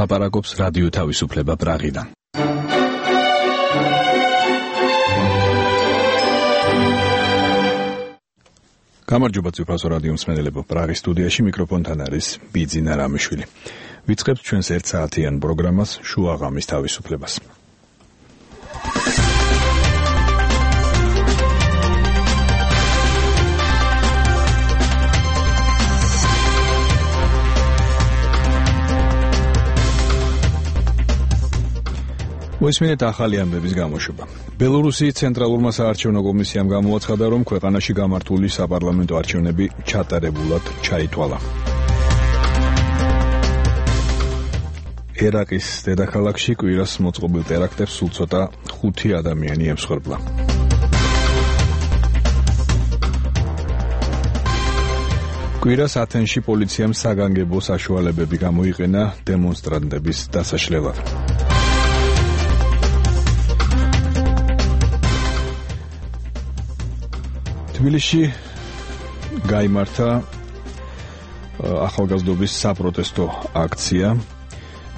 ლაპარაკობს რადიო თავისუფლება პრაღიდან. გამარჯობა ციფროსო რადიო მსმენელებო, პრაღის სტუდიაში მიკროფონთან არის ბიძინა რამიშვილი. ვიწყებთ ჩვენს 1 საათიან პროგრამას შუა ღამის თავისუფლებას. მოისმინეთ ახალი ამბების გამოშვება. ბელორუსიის ცენტრალურმა საარჩევნო კომისიამ გამოაცხადა, რომ ქვეყანაში გამართული საპარლამენტო არჩევნები ჩატარებულად ჩაითვალა. ერაყის დედაქალაქში კვირას მოწყობილ ტერაქტებს სულ ცოტა 5 ადამიანი ემსხვერპლა. კვირას ათენში პოლიციამ საგანგებო საშუალებები გამოიყენა დემონსტრანტების დასაშლელად. თბილისში გაიმართა ახალგაზრდობის საპროტესტო აქცია.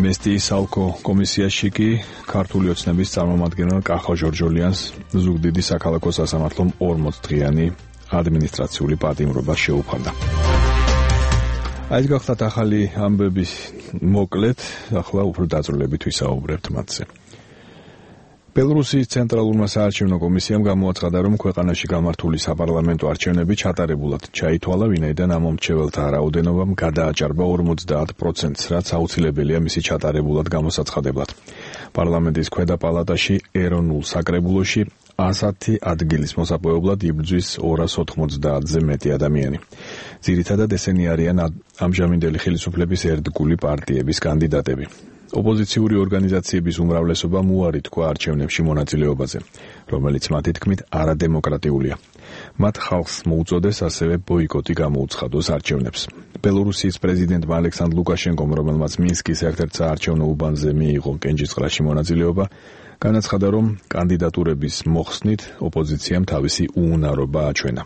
მესტიის ალკო კომისიაში კი ქართული ოცნების წარმომადგენელ კახა ჟორჟოლიანს ზუგდიდი საქალაქო სასამართლომ 40-დღიანი ადმინისტრაციული პატიმრობა შეუფარდა. ეს გახლავთ ახალი ამბების მოკლედ, ახლა უფრო დაწვრილებით ვისაუბრებთ მათზე. ბელორუსიის ცენტრალურმა საარჩევნო კომისიამ გამოაცხადა, რომ ქვეყანაში გამართული საპარლამენტო არჩევნები ჩატარებულად ჩაითვალა, ვინაიდან ამომრჩეველთა რაოდენობამ გადააჭარბა 50%-ს, რაც აუცილებელია მისი ჩატარებულად გამოსაცხადებლად. პარლამენტის ქვედა პალატაში ეროვნულ საკრებულოში 110 ადგილის მოსაპოვებლად იბრძვის 290-ზე მეტი ადამიანი. ძირითადად ესენი არიან ამჟამინდელი ხელისუფლების ერთგული პარტიების კანდიდატები. ოპოზიციური ორგანიზაციების უმრავლესობამ უარი თქვა არჩევნებში მონაწილეობაზე, რომელიც მათი თქმით არადემოკრატიულია. მათ ხალხს მოუწოდეს ასევე ბოიკოტი გამოუცხადოს არჩევნებს. ბელორუსიის პრეზიდენტმა ალექსანდრ ლუკაშენკომ, რომელმაც მინსკის ერთ-ერთ საარჩევნო უბანზე მიიღო კენჭისყრაში მონაწილეობა, განაცხადა, რომ კანდიდატურების მოხსნით ოპოზიციამ თავისი უუნარობა აჩვენა.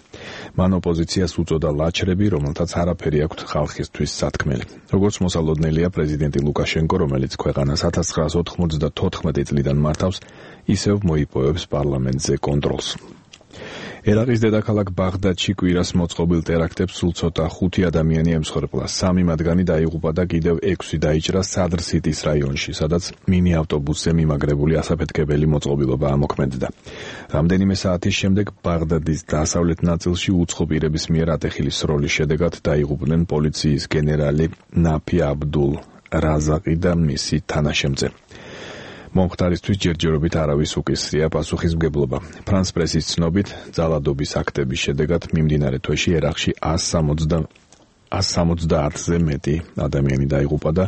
მან ოპოზიციას უწოდა ლაჩრები, რომელთაც არაფერი აქვთ ხალხისთვის სათქმელი. როგორც მოსალოდნელია, პრეზიდენტი ლუკაშენკო, რომელიც ქვეყანას 1994 წლიდან მართავს, ისევ მოიპოვებს პარლამენტზე კონტროლს. ერაყის დედაქალაქ ბაღდადში კვირას მოწყობილ ტერაქტებს სულ ცოტა 5 ადამიანი ემსხვერპლა. 3 მათგანი დაიღუპა და კიდევ 6 დაიჭრა სადრ სიტის რაიონში, სადაც მინი ავტობუსზე მიმაგრებული ასაფეთქებელი მოწყობილობა ამოქმედდა. რამდენიმე საათის შემდეგ ბაღდადის დასავლეთ ნაწილში უცხო პირების მიერ ატეხილი სროლის შედეგად დაიღუპნენ პოლიციის გენერალი ნაფი აბდულ რაზაყი და მისი თანაშემწე. მომხდარისთვის ჯერჯერობით არავის უკისრია პასუხისმგებლობა. ფრანს პრესის ცნობით, ძალადობის აქტების შედეგად მიმდინარე თვეში ერაყში 170-ზე მეტი ადამიანი დაიღუპა და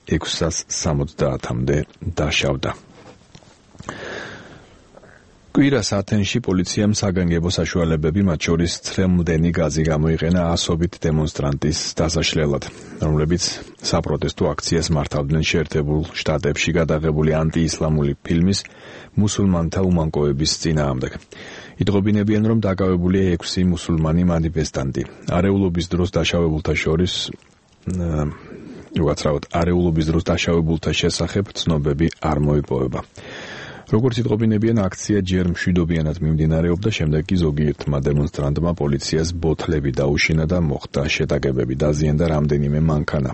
670-მდე დაშავდა. კვირას ათენში პოლიციამ საგანგებო საშუალებები, მათ შორის ცრემლდენი გაზი გამოიყენა ასობით დემონსტრანტის დასაშლელად, რომლებიც საპროტესტო აქციას მართავდნენ შეერთებულ შტატებში გადაღებული ანტიისლამური ფილმის მუსულმანთა უმანკოების წინააღმდეგ. იტყობინებიან, რომ დაკავებულია 6 მუსულმანი მანიფესტანტი. არეულობის დროს დაშავებულთა შესახებ ცნობები არ მოიპოვება. როგორც იტყობინებიან, აქცია ჯერ მშვიდობიანად მიმდინარეობდა, შემდეგ კი ზოგიერთმა დემონსტრანტმა პოლიციას ბოთლები დაუშინა და მოხდა შეტაკებები, დაზიანდა რამდენიმე მანქანა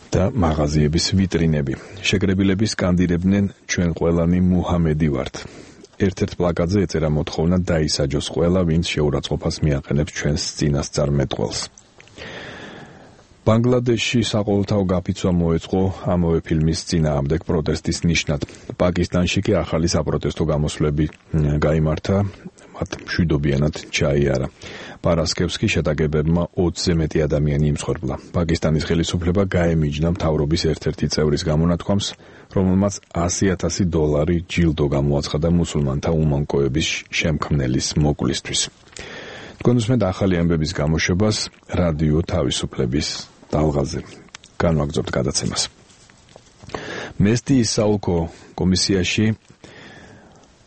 და მაღაზიების ვიტრინები. შეკრებილები სკანდირებდნენ ჩვენ ყველანი მუჰამედი ვართ. ერთ-ერთ პლაკატზე ეწერა მოთხოვნა დაისაჯოს ყველა, ვინც შეურაცხყოფას მიაყენებს ჩვენს წინასწარ მეტყველს. ბანგლადეშში საყოველთაო გაფიცვა მოეწყო ამავე ფილმის წინააღმდეგ პროტესტის ნიშნად. პაკისტანში კი ახალი საპროტესტო გამოსვლები გაიმართა, მათ მშვიდობიანად ჩაიარა. პარასკევს კი შეტაკებებმა 20-ზე მეტი ადამიანი იმსხვერპლა. პაკისტანის ხელისუფლება გაემიჯნა მთავრობის ერთ-ერთი წევრის გამონათქვამს, რომელმაც $100,000 ჯილდო გამოაცხადა მუსულმანთა უმანკოების შემქმნელის მოკლისთვის. თქვენ უსმენთ ახალი ამბების გამოშვებას რადიო თავისუფლების ტალღაზე. განვაგრძობთ გადაცემას. მესტიის ალკო კომისიაში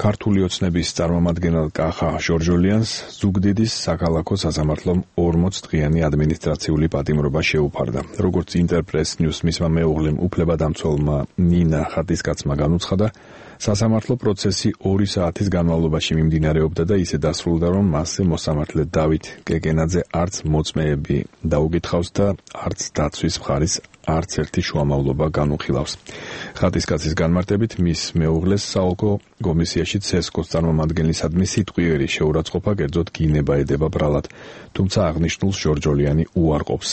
ქართული ოცნების წარმომადგენელ კახა ჟორჟოლიანს ზუგდიდის საქალაქო სასამართლომ 40 დღიანი ადმინისტრაციული პატიმრობა შეუფარდა. როგორც ინტერპრეს ნიუს მისმა მეუღლემ უფლებადამცველმა ნინა ხატისკაცმა განუცხადა, სასამართლო პროცესი 2 საათის განმავლობაში მიმდინარეობდა და ისე დასრულდა, რომ მასზე მოსამართლე დავით კეკენაძე არც მოწმეები დაუკითხავს და არც დაცვის მხარის არც ერთი შუამავლობა განუხილავს. ხატისკაცის განმარტებით მის მეუღლეს საოლქო კომისიაში ცესკოს წარმომადგენლისადმი სიტყვიერი შეურაცხყოფა კერძოდ გინება ედება ბრალად, თუმცა აღნიშნულს ჟორჟოლიანი უარყოფს.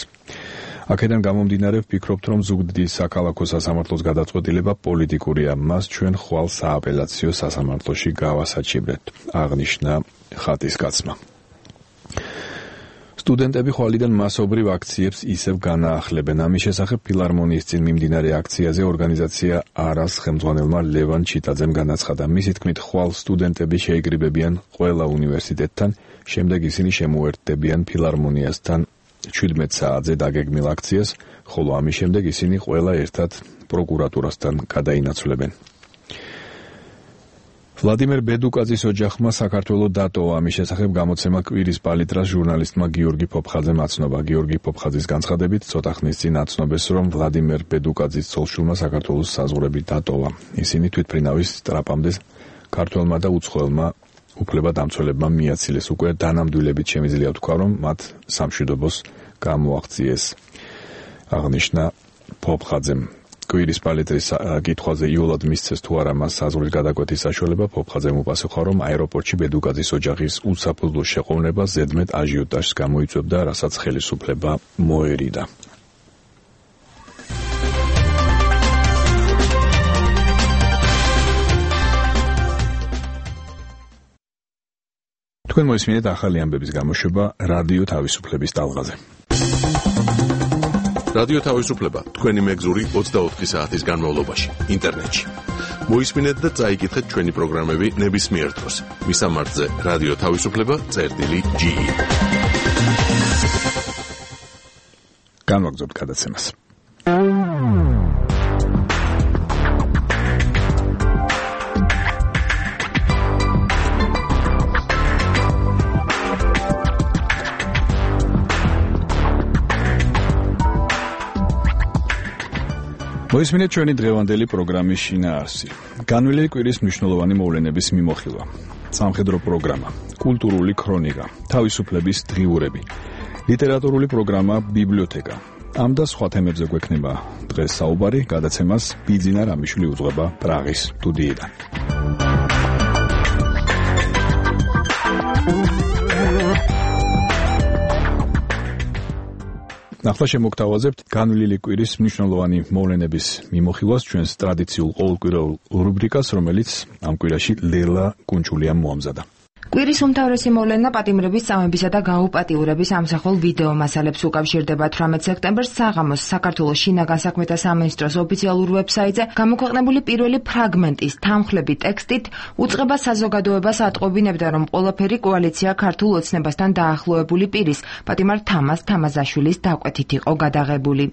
აქედან გამომდინარე ვფიქრობთ, რომ ზუგდიდის საქალაქო სასამართლოს გადაწყვეტილება პოლიტიკურია, მას ჩვენ ხვალ სააპელაციო სასამართლოში გავასაჩივრეთ, აღნიშნა ხატისკაცმა. სტუდენტები ხვალიდან მასობრივ აქციებს ისევ განაახლებენ. ამის შესახებ ფილარმონიის წინ მიმდინარე აქციაზე ორგანიზაცია არას ხელმძღვანელმა ლევან ჩიტაძემ განაცხადა. მისი თქმით, ხვალ სტუდენტები შეიგრიბებიან ყველა უნივერსიტეტთან, შემდეგ ისინი შემოერთდებიან ფილარმონიასთან 17 საათზე დაგეგმილ აქციას, ხოლო ამის შემდეგ ისინი ყველა ერთად პროკურატურასთან გადაინაცვლებენ. ვლადიმერ ბედუკაძის ოჯახმა საქართველოს დატოვა. ამის შესახებ გამოცემა კვირის პალიტრას ჟურნალისტმა გიორგი ფოფხაძემ აცნობა. გიორგი ფოფხაძის განცხადებით, ცოტა ხნის წინ აცნობეს, რომ ვლადიმერ ბედუკაძის ცოლ-შვილმა საქართველოს საზღვრები დატოვა. ისინი თვითმფრინავის ტრაპამდე ქართველმა და უცხოელმა უფლებადამცველებმა მიაცილეს. უკვე დანამდვილებით შემიძლია თქვა, რომ მათ სამშვიდობოს გამოაღწიეს, აღნიშნა ფოფხაძემ. კვირის პალიტრის კითხვაზე იოლად მისცეს თუ არა მას საზღვრის გადაკვეთის საშუალება, ფოფხაძემ უპასუხა, რომ აეროპორტში ბედუკაძის ოჯახის უსაფუძვლო შეყოვნება ზედმეტ აჟიოტაჟს გამოიწვევდა, რასაც ხელისუფლება მოერიდა. თქვენ მოისმინეთ ახალი ამბების გამოშვება რადიო თავისუფლების ტალღაზე. რადიო თავისუფლება თქვენი მეგზური 24 საათის განმავლობაში ინტერნეტში. მოისმინეთ და წაიკითხეთ ჩვენი პროგრამები ნებისმიერ დროს. მისამართზე რადიო თავისუფლება.ge. განვაგრძობთ გადაცემას. მოისმინეთ ჩვენი დღევანდელი პროგრამის შინაარსი. განვლილი კვირის მნიშვნელოვანი მოვლენების მიმოხილვა. სამხედრო პროგრამა, კულტურული ქრონიკა, თავისუფლების დღიურები, ლიტერატურული პროგრამა ბიბლიოთეკა. ამ და სხვა თემებზე გვექნება დღეს საუბარი, გადაცემას ბიძინა რამიშვილი უძღვება პრაღის სტუდიიდან. ახლა შემოგთავაზებთ განვლილი კვირის მნიშვნელოვანი მოვლენების მიმოხილვას ჩვენს ტრადიციულ ყოველკვირეულ რუბრიკას, რომელიც ამ კვირაში ლელა კუნჩულიამ მოამზადა. კვირის უმთავრესი მოვლენა პატიმრების წამებისა და გაუპატიურების ამსახველ ვიდეო მასალებს უკავშირდება. 18 სექტემბერს საღამოს საქართველოს შინაგან საქმეთა სამინისტროს ოფიციალურ ვებსაიტზე გამოქვეყნებული პირველი ფრაგმენტის თანხლები ტექსტით უწყება საზოგადოებას ატყობინებდა, რომ ყველაფერი კოალიცია ქართულ ოცნებასთან დაახლოებული პირის პატიმარ თამაზ თამაზაშვილის დაკვეთით იყო გადაღებული.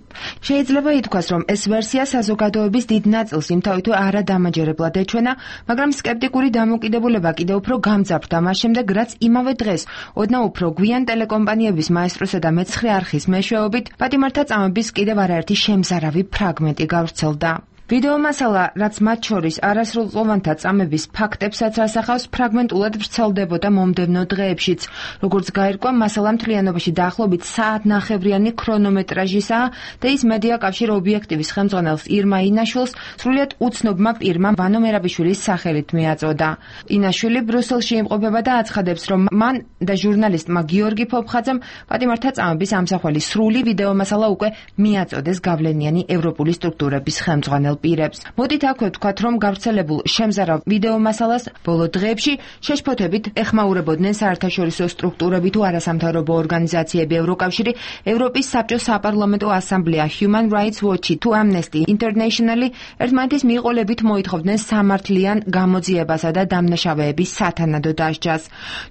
შეიძლება ითქვას, რომ ეს ვერსია საზოგადოების დიდ ნაწილს იმთავითო არადამაჯერებლად ეჩვენა, მაგრამ სკეპტიკური დამოკიდებულება კიდევ უფრო გამძაფრდა მას შემდეგ, რაც იმავე დღეს ოდნავ უფრო გვიან ტელეკომპანიების მაესტროსა და მეცხრე არხის მეშვეობით პატიმართა წამების კიდევ არაერთი შემზარავი ფრაგმენტი გავრცელდა. ვიდეო მასალა, რაც მათ შორის არასრულწლოვანთა წამების ფაქტებსაც ასახავს, ფრაგმენტულად ვრცელდებოდა მომდევნო დღეებშიც. როგორც გაირკვა, მასალა მთლიანობაში დაახლოებით საათნახევრიანი ქრონომეტრაჟისაა და ის მედია კავშირ ობიექტივის ხელმძღვანელს ირმა ინაშვილს სრულიად უცნობმა პირმა ვანო მერაბიშვილის სახელით მიაწოდა. ინაშვილი ბრუსელში იმყოფება და აცხადებს, რომ მან და ჟურნალისტმა გიორგი ფოფხაძემ პატიმართა წამების ამსახველი სრული ვიდეო მასალა უკვე მიაწოდეს გავლენიანი ევროპული სტრუქტურების ხელმძღვანელ პირებს. მოდით აქვე ვთქვათ, რომ გავრცელებულ შემზარავ ვიდეო მასალას ბოლო დღეებში შეშფოთებით ეხმაურებოდნენ საერთაშორისო სტრუქტურები თუ არასამთავრობო ორგანიზაციები, ევროკავშირი, ევროპის საბჭოს საპარლამენტო ასამბლეა, Human Rights Watch თუ Amnesty International ერთმანეთის მიყოლებით მოითხოვდნენ სამართლიან გამოძიებასა და დამნაშავეების სათანადო დასჯას.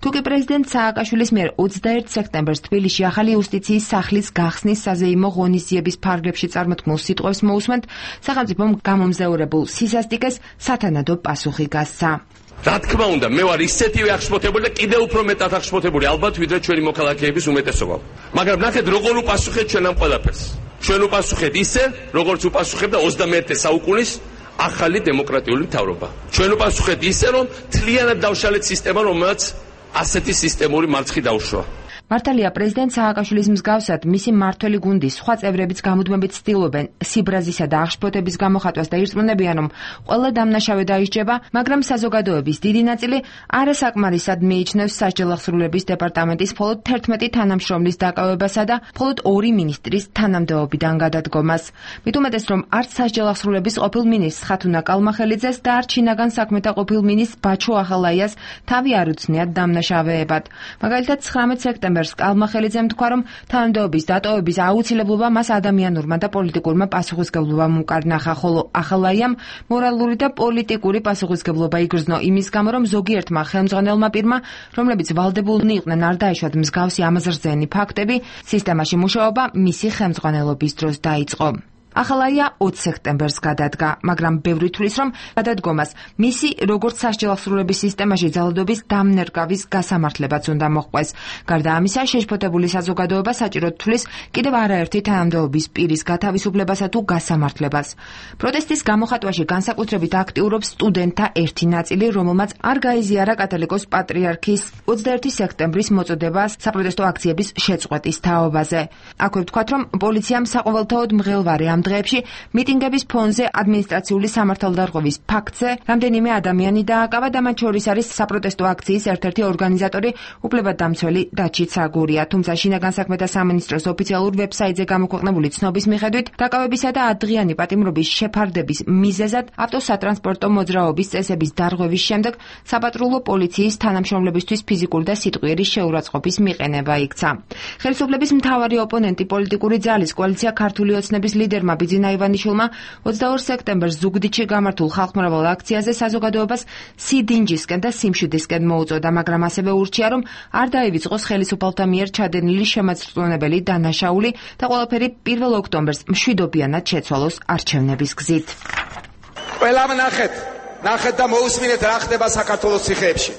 თუკი პრეზიდენტ სააკაშვილის მიერ 21 სექტემბერს თბილისში ახალი იუსტიციის სახლის გახსნის საზეიმო ღონისძიების ფარგლებში წარმოთქმულ სიტყვებს მოусმენთ, სახელმწიფომ გამომზეურებულ სისასტიკეს სათანადო პასუხი გასცა. რა თქმა უნდა, მე ვარ ისეთივე აღშფოთებული და კიდევ უფრო მეტად აღშფოთებული ალბათ ვიდრე ჩვენი მოქალაქეების უმეტესობა. მაგრამ ნახეთ როგორ უპასუხეთ ჩვენ ამ ყველაფერს. ჩვენ უპასუხეთ ისე, როგორც უპასუხებდა 21 საუკუნის ახალი დემოკრატიული მთავრობა. ჩვენ უპასუხეთ ისე, რომ თლიანად დავშალეთ სისტემა, რომელსაც ასეთი სისტემური მარცხი დაუშვა. მართალია პრეზიდენტ სააკაშვილის მსგავსად მისი მმართველი გუნდის სხვა წევრებიც გამუდმებით ცდილობენ სიბრაზისა და აღშფოთების გამოხატვას და ირწმუნებიან, რომ ყველა დამნაშავე დაისჯება, მაგრამ საზოგადოების დიდი ნაწილი არასაკმარისად მიიჩნევს სასჯელ აღსრულების დეპარტამენტის მხოლოდ 11 თანამშრომლის დაკავებასა და მხოლოდ 2 მინისტრის თანამდებობიდან გადადგომას. მით უმეტეს, რომ არც სასჯელ აღსრულების ყოფილ მინისტრს ხათუნა კალმახელიძეს და არც შინაგან საქმეთა ყოფილ მინისტრს ბაჩო ახალაიას თავი არ უცნიათ დამნაშავეებად. მაგალითად 19 სექტემბერს კალმახელიძემ თქვა, რომ თანამდებობის დატოვების აუცილებლობა მას ადამიანურმა და პოლიტიკურმა პასუხისმგებლობამ უკარნახა, ხოლო ახალაიამ მორალური და პოლიტიკური პასუხისმგებლობა იგრძნო იმის გამო, რომ ზოგიერთმა ხელმძღვანელმა პირმა, რომლებიც ვალდებულნი იყვნენ არ დაეშვათ მსგავსი ამაზრზენი ფაქტები, სისტემაში მუშაობა მისი ხელმძღვანელობის დროს დაიწყო. ახალაია 20 სექტემბერს გადადგა, მაგრამ ბევრი თვლის, რომ გადადგომას მისი როგორც სასჯელ აღსრულების სისტემაში ძალადობის დამნერგავის გასამართლებაც უნდა მოჰყვეს. გარდა ამისა, შეშფოთებული საზოგადოება საჭიროდ თვლის კიდევ არაერთი თანამდებობის პირის გათავისუფლებასა თუ გასამართლებას. პროტესტის გამოხატვაში განსაკუთრებით აქტიურობს სტუდენტთა ერთი ნაწილი, რომელმაც არ გაიზიარა კათოლიკოს პატრიარქის 21 სექტემბრის მოწოდებას საპროტესტო აქციების შეწყვეტის თაობაზე. აქვე ვთქვათ, რომ პოლიციამ საყოველთაოდ მღელვარე ამ დღეებში მიტინგების ფონზე ადმინისტრაციული სამართალდარღვევის ფაქტზე რამდენიმე ადამიანი დააკავა და მათ შორის არის საპროტესტო აქციის ერთ-ერთი ორგანიზატორი, უფლებადამცველი დაჩი ცაგურია. თუმცა შინაგან საქმეთა სამინისტროს ოფიციალურ ვებსაიტზე გამოქვეყნებული ცნობის მიხედვით, დაკავებისა და ადრიანი პატიმრობის შეფარდების მიზეზად ავტოსატრანსპორტო მოძრაობის წესების დარღვევის შემდეგ საპატრულო პოლიციის თანამშრომლებისთვის ფიზიკური და სიტყვიერი შეურაცხყოფის მიყენება იქცა. ხელისუფლების მთავარი ოპონენტი პოლიტიკური ძალის კოალიცია ქართული ოცნების ლიდერმა ბიძინა ივანიშვილმა 22 სექტემბერს ზუგდიდში გამართულ ხალხმრავალ აქციაზე საზოგადოებას სიდინჯისკენ და სიმშვიდისკენ მოუწოდა, მაგრამ ასევე ურჩია, რომ არ დაივიწყოს ხელისუფალთა მიერ ჩადენილი შემაწრწუნებელი დანაშაული და ყველაფერი 1 ოქტომბერს მშვიდობიანად შეცვალოს არჩევნების გზით. ყველამ ნახეთ და მოусმინეთ რა ხდება საქართველოს ციხეებში.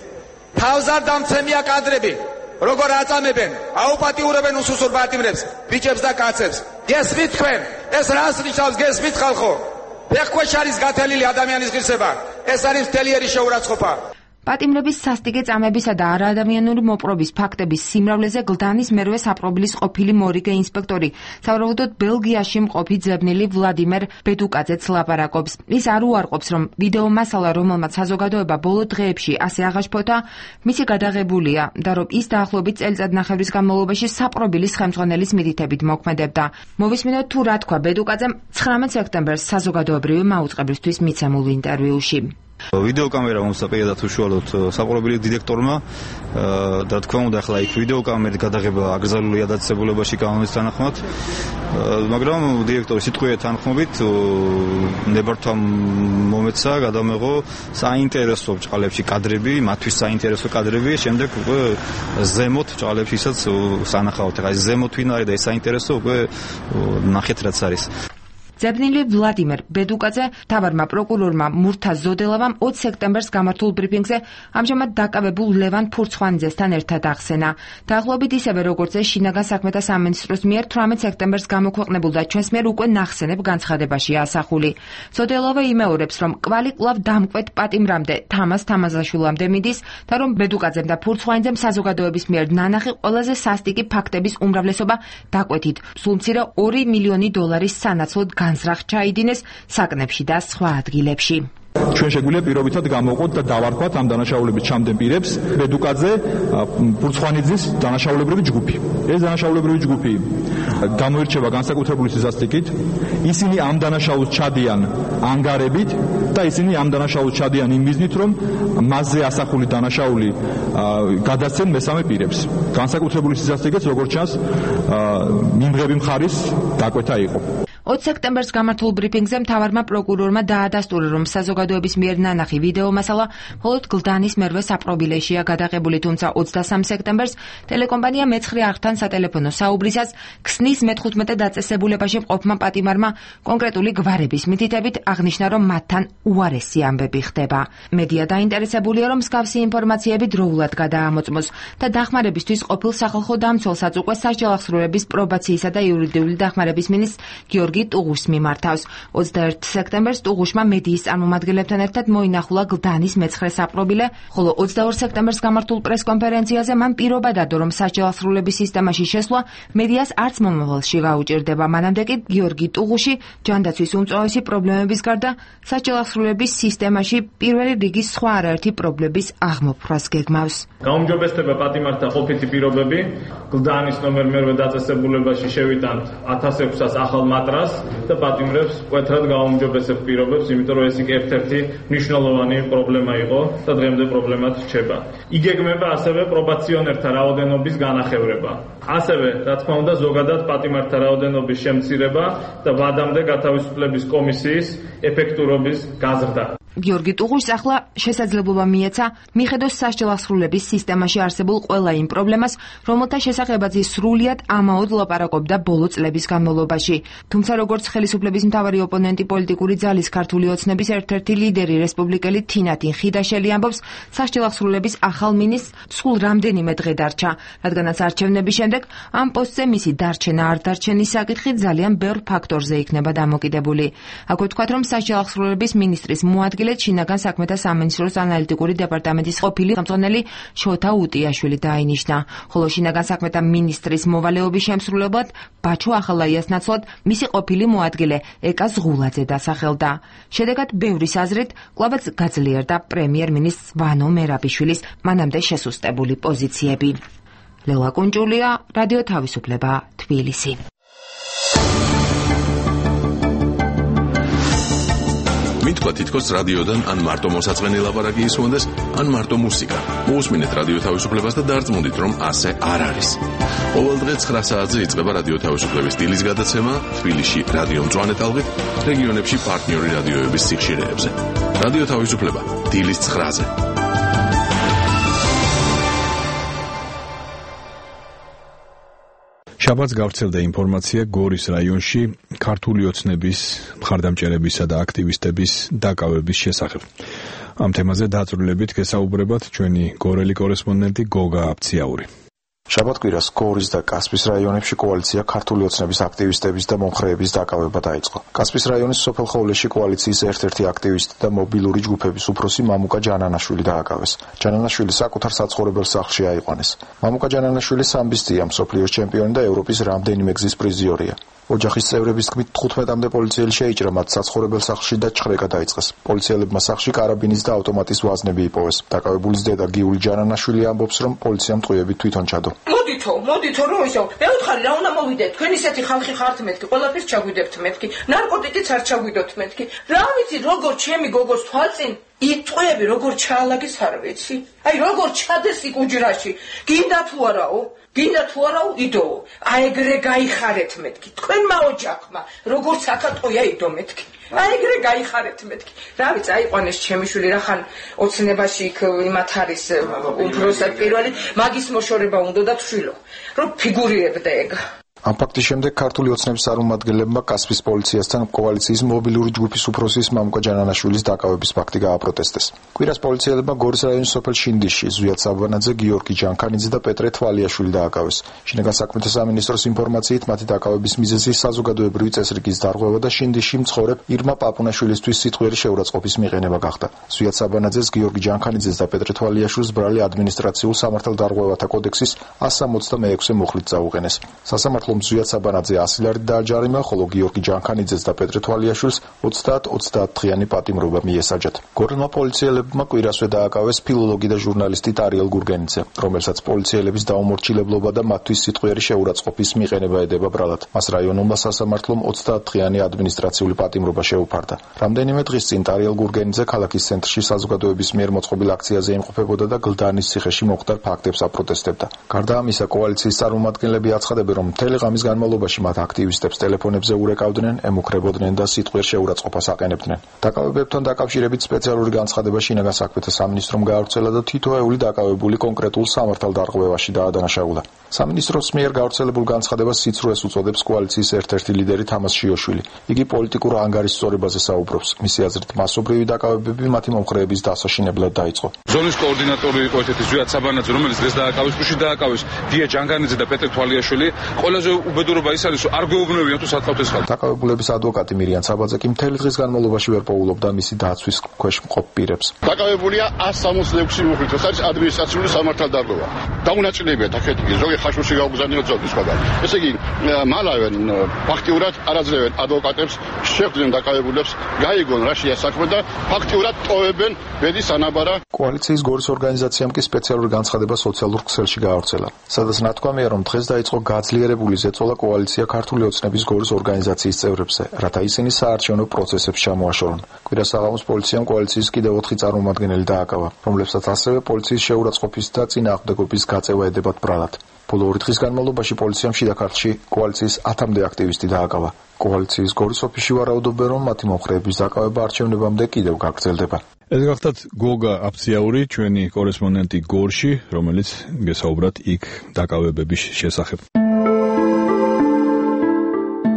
თავზარდამცემია კადრები როგორ აწამებენ, აუპატიურებენ უსუსურ პატიმრებს, ბიჭებს და კაცებს. გესმით თქვენ, ეს რას ნიშნავს, გესმით ხალხო? ფეხქვეშ არის გათელილი ადამიანის ღირსება. ეს არის მთლიერი შეურაცხყოფა. პატიმრების სასტიკი წამებისა და არაადამიანური მოპყრობის ფაქტების სიმრავლეზე გლდანის მერვე საპყრობილის ყოფილი მორიგე ინსპექტორი, სავარაუდოდ ბელგიაში მყოფი ძებნილი ვლადიმერ ბედუკაძეც ლაპარაკობს. ის არ უარყოფს, რომ ვიდეო მასალა, რომელმაც საზოგადოება ბოლო დღეებში ასე აღაშფოთა, მისი გადაღებულია და რომ ის დაახლოებით წელიწადნახევრის განმავლობაში საპყრობილის ხელმძღვანელის მითითებით მოქმედებდა. მოვისმინოთ თუ რა თქვა ბედუკაძემ 19 სექტემბერს საზოგადოებრივი მაუწყებლისთვის მიცემულ ინტერვიუში. ვიდეოკამერა მომსახურებად უშუალოდ საპყრობილის დირექტორმა და თქვა უნდა ახლა იქ ვიდეოკამერით გადაღება აკრძალულია დაწესებულებაში კანონის თანახმად, მაგრამ დირექტორის სიტყვიერ თანხმობით ნებართვამ მომეცა გადამეღო საინტერესო ბრჭყალებში კადრები, მათთვის საინტერესო კადრები, შემდეგ უკვე ზემოთ ბრჭყალებშისაც სანახავთ. ახლა ეს ზემოთ ვინ არის და ეს საინტერესო უკვე ნახეთ რაც არის. ძებნილი ვლადიმერ ბედუკაძე თავარმა პროკურორმა მურთაზ ზოდელავამ 20 სექტემბერს გამართულ ბრიფინგზე ამჟამად დაკავებულ ლევან ფურცხვანიძესთან ერთად ახსენა. დაახლოებით ისევე როგორც ეს შინაგან საქმეთა სამინისტროს მიერ 18 სექტემბერს გამოქვეყნებულ და ჩვენს მიერ უკვე ნახსენებ განცხადებაშია ასახული. ზოდელავა იმეორებს, რომ კვალი კვლავ დამკვეთ პატიმრამდე თამაზ თამაზაშვილამდე მიდის და რომ ბედუკაძემ და ფურცხვანიძემ საზოგადოების მიერ ნანახი ყველაზე სასტიკი ფაქტების უმრავლესობა დაკვეთით. სულ მცირე 2 მილიონი დოლარის სანაცვლოდ განზრახ ჩაიდინეს საკნებში და სხვა ადგილებში. ჩვენ შეგვიძლია პირობითად გამოვყოთ და დავარქვათ ამ დანაშაულების ჩამდენ პირებს ბედუკაძე, ფურცხვანიძის დანაშაულებრივი ჯგუფი. ეს დანაშაულებრივი ჯგუფი გამოირჩევა განსაკუთრებული სისასტიკით. ისინი ამ დანაშაულს ჩადიან ანგარებით და ისინი ამ დანაშაულს ჩადიან იმ მიზნით, რომ მასზე ასახული დანაშაული გადასცენ მესამე პირებს. განსაკუთრებული სისასტიკით, როგორც ჩანს, მიმღები მხარის დაკვეთა იყო. 20 სექტემბერს გამართულ ბრიფინგზე მთავარმა პროკურორმა დაადასტურა, რომ საზოგადოების მიერ ნანახი ვიდეო მასალა მხოლოდ გლდანის მერვე საპრობილეშია გადაღებული, თუმცა 23 სექტემბერს ტელეკომპანია მეცხრე არხთან სატელეფონო საუბრისას ქსნის მე-15 დაწესებულებაში მყოფმა პატიმარმა კონკრეტული გვარების მითითებით აღნიშნა, რომ მათთან უარესი ამბები ხდება. მედია დაინტერესებულია, რომ მსგავსი ინფორმაციები დროულად გადაამოწმოს და დახმარებისთვის ყოფილ სახალხო დამცველსაც უკვე სასჯელ აღსრულების პრობაციისა და იურიდიული დახმარების მინისტრ გიორგი ტუღუშს მიმართავს. 21 სექტემბერს ტუღუშმა მედიის წარმომადგენლებთან ერთად მოინახულა გლდანის მეცხრე საპრობილე, ხოლო 22 სექტემბერს გამართულ პრესკონფერენციაზე მან პირობა დადო, რომ სასჯელ აღსრულების სისტემაში შესვლა მედიას არც მომავალში გაუჭირდება. მანამდე კი გიორგი ტუღუში ჯანდაცვის უმწვავესი პრობლემების გარდა სასჯელ აღსრულების სისტემაში პირველი რიგის სხვა არაერთი პრობლემის აღმოფხვრას გეგმავს. გაუმჯობესდება პატიმართა ყოფითი პირობები, გლდანის ნომერ მერვე დაწესებულებაში შევიტანთ 1006-ას ახალ მატრას და პატიმრებს მკვეთრად გაუმჯობესებ პირობებს, იმიტომ რომ ეს იქ ერთ-ერთი მნიშვნელოვანი პრობლემა იყო და დღემდე პრობლემად რჩება. იგეგმება ასევე პრობაციონერთა რაოდენობის განახევრება. ასევე, რა თქმა უნდა, ზოგადად პატიმართა რაოდენობის შემცირება და ვადამდე გათავისუფლების კომისიის ეფექტურობის გაზრდა. გიორგი ტუღუშს ახლა შესაძლებლობა მიეცა მიხედოს სასჯელ აღსრულების სისტემაში არსებულ ყველა იმ პრობლემას, რომელთა შესახებაც ის სრულიად ამაოდ ლაპარაკობდა ბოლო წლების განმავლობაში. თუმცა როგორც ხელისუფლების მთავარი ოპონენტი პოლიტიკური ძალის ქართული ოცნების ერთ-ერთი ლიდერი რესპუბლიკელი თინათინ ხიდაშელი ამბობს, სასჯელ აღსრულების ახალ მინისტრს სულ რამდენიმე დღე დარჩა, რადგანაც არჩევნების შემდეგ ამ პოსტზე მისი დარჩენა არ დარჩენის საკითხი ძალიან ბევრ ფაქტორზე იქნება დამოკიდებული. აქვე ვთქვათ, რომ სასჯელ აღსრულების მინისტრის მოადგილედ შინაგან საქმეთა სამინისტროს ანალიტიკური დეპარტამენტის ყოფილი ხელმძღვანელი შოთა უტიაშვილი დაინიშნა, ხოლო შინაგან საქმეთა მინისტრის მოვალეობის შემსრულებლად ბაჩო ახალაიას ნაცვლად მისი ყოფილი მოადგილე ეკა ზღულაძე დასახელდა. შედეგად ბევრის აზრით კვლავაც გაძლიერდა პრემიერ-მინისტრ ვანო მერაბიშვილის მანამდე შესუსტებული პოზიციები. ლელა კუნჭულია, რადიო თავისუფლება, თბილისი. მითქვა თითქოს რადიოდან ან მარტო მოსაწყენი ლაპარაკი ისმონდეს, ან მარტო მუსიკა. მოусმინეთ რადიო თავისუფლებას და დარწმუნდით, რომ ასე არ არის. ყოველ დღე 9 საათზე იწყება რადიო თავისუფლების დილის გადაცემა თბილისში რადიო მწვანე ტალღით, რეგიონებში პარტნიორი რადიოების სიხშირეებზე. რადიო თავისუფლება დილის 9-ზე. შაბათს გავრცელდა ინფორმაცია გორის რაიონში ქართული ოცნების მხარდამჭერებისა და აქტივისტების დაკავების შესახებ. ამ თემაზე დაწვრილებით გესაუბრებათ ჩვენი გორელი კორესპონდენტი გოგა აფციაური. შაბათ-კვირას გორის და კასპის რაიონებში კოალიცია ქართული ოცნების აქტივისტების და მომხრეების დაკავება დაიწყო. კასპის რაიონის სოფელხოვლეში კოალიციის ერთ-ერთი აქტივისტი და მობილური ჯგუფების უფროსი მამუკა ჯანანაშვილი დააკავეს. ჯანანაშვილი საკუთარ საცხოვრებელ სახლში აიყვანეს. მამუკა ჯანანაშვილი სამბისტია, მსოფლიოს ჩემპიონი და ევროპის რამდენიმე გზის პრიზიორია. ოჯახის წევრების თქმით 15-მდე პოლიციელი შეიჭრა მათ საცხოვრებელ სახლში და ჩხრეკა დაიწყეს. პოლიციელებმა სახლში კარაბინის და ავტომატის ვაზნები იპოვეს. დაკავებულის დედა გიული ჯანანაშვილი ამბობს, რომ პოლიციამ ტყუებით თვითონ ჩადო. მოდითო რომ ისო მე ვთხარი რა უნდა მოვიდეთ, თქვენ ისეთი ხალხი ხართ მეთქი, ყველაფერს ჩაგვიდებთ მეთქი, ნარკოტიკიც არ ჩაგვიდოთ მეთქი. რა ვიცი როგორ ჩემი გოგოს თვალწინ იტყვეები როგორ ჩაალაგეს არ ვიცი. აი როგორ ჩადეს იქ უჯრაში. გინდა თუ არაო იდო. აეგრე გაიხარეთ მეთქი. თქვენმა ოჯახმა როგორც აკატყოია იდო მეთქი. აეგრე გაიხარეთ მეთქი. რა ვიცი აიყვანეს ჩემი შვილი რახან ოცნებაში იქ იმათ არის უფროსად პირველი მაგის მოშორება უნდა და თშვილო. რომ ფიგურირებდა ეგ. ამ ფაქტის შემდეგ ქართული ოცნების წარმომადგენლებმა კასპის პოლიციასთან კოალიციის მობილური ჯგუფის უფროსის მამუკა ჯანანაშვილის დაკავების ფაქტი გააპროტესტეს. კვირას პოლიციელებმა გორის რაიონის სოფელ შინდისში ზვიად საბანაძე, გიორგი ჯანქანიძე და პეტრე თვალიაშვილი დააკავეს. შინაგან საქმეთა სამინისტროს ინფორმაციით მათი დაკავების მიზეზი საზოგადოებრივი წესრიგის დარღვევა და შინდისში მცხოვრებ ირმა პაპუნაშვილისთვის სიტყვიერი შეურაცხყოფის მიღება გახდა. ზვიად საბანაძეს, გიორგი ჯანქანიძეს და პეტრე თვალიაშვილს ბრალი ადმინისტრაციულ სამართალდარღვევათა კოდექსის 166 მუხლით წაუყენეს. სასამართლო ზვიად საბანაძე 100 ლარით დააჯარიმა, ხოლო გიორგი ჯანქანიძეს და პეტრე თვალიაშვილს 30 დღიანი პატიმრობა მიესაჯათ. გორელმა პოლიციელებმა კვირასვე დააკავეს ფილოლოგი და ჟურნალისტი ტარიელ გურგენიძე, რომელსაც პოლიციელების დაუმორჩილებლობა და მათთვის სიტყვიერი შეურაცხყოფის მიღება ედება ბრალად. მას რაიონულმა სასამართლომ 30 დღიანი ადმინისტრაციული პატიმრობა შეუფარდა. რამდენიმე დღის წინ ტარიელ გურგენიძე ქალაქის ცენტრში საზოგადოების მიერ მოწყობილ აქციაზე იმყოფებოდა და გლდანის ციხეში მომხდარ ფაქტებს აპროტესტებდა. გარდა ამისა, კოალიციის წარმომადგენლები აცხადებენ, რომ მთელ მთელი ღამის განმავლობაში მათ აქტივისტებს ტელეფონებზე ურეკავდნენ, ემუქრებოდნენ და სიტყვიერ შეურაცხყოფას აყენებდნენ. დაკავებებთან დაკავშირებით სპეციალური განცხადება შინაგან საქმეთა სამინისტრომ გაავრცელა და თითოეული დაკავებული კონკრეტულ სამართალდარღვევაში დაადანაშაულა. სამინისტროს მიერ გავრცელებულ განცხადებას სიცრუეს უწოდებს კოალიციის ერთ-ერთი ლიდერი თამას შიოშვილი. იგი პოლიტიკურ ანგარის სწორებაზე საუბრობს. მისი აზრით, მასობრივი დაკავებები მათი მომხრეების დასაშინებლად დაიწყო. ზონის კოორდინატორი იყო ერთ-ერთი ზვიად საბანაძე, რომელიც დღეს დააკავეს, გუშინ დააკავეს დია ჯანგანიძე და პეტრე თვალიაშვილი. ყველაზე უბედურობა ის არის, რომ არ გვეუბნებიან თუ სად ყავთ ეს ხალხი. დაკავებულების ადვოკატი მირიან საბაძე კი მთელი დღის განმავლობაში ვერ პოულობდა მისი დაცვის ქვეშ მყოფ პირებს. დაკავებულია 166 მუხლით, ეს არის ადმინისტრაციული სამართალდარღვევა. დაუნაწილებია თაქეთი ზოგი ხაშურში გაუგზავნიო ძოლის სხვაგან. ესე იგი, მალავენ ფაქტიურად არაძლევენ ადვოკატებს, შეხვდნენ დაკავებულებს, გაიგონ რა შეა საქმე და ფაქტიურად ტოვებენ ბედის ანაბარა. კოალიციის გორის ორგანიზაციამ კი სპეციალური განცხადება სოციალურ ქსელში გაავრცელა, სადაც ნათქვამია, რომ დღეს დაიწყო გაძლიერებული ზეწოლა კოალიცია ქართული ოცნების გორის ორგანიზაციის წევრებზე, რათა ისინი საარჩევნო პროცესებს ჩამოაშორონ. კვირას საღამოს პოლიციამ კოალიციის კიდევ 4 წარმომადგენელი დააკავა, რომლებსაც ასევე პოლიციის შეურაცხყოფის და წინააღმდეგობის გაწევა ედებათ ბრალად. ბოლო 2 დღის განმავლობაში პოლიციამ შიდა ქართლში კოალიციის 10-მდე აქტივისტი დააკავა. კოალიციის გორის ოფისში ვარაუდობენ, რომ მათი მომხრეების დაკავება არჩევნებამდე კიდევ გაგრძელდება. ეს გახლავთ გოგა აფციაური, ჩვენი კორესპონდენტი გორში, რომელიც გესაუბრათ იქ დაკავებების შესახებ.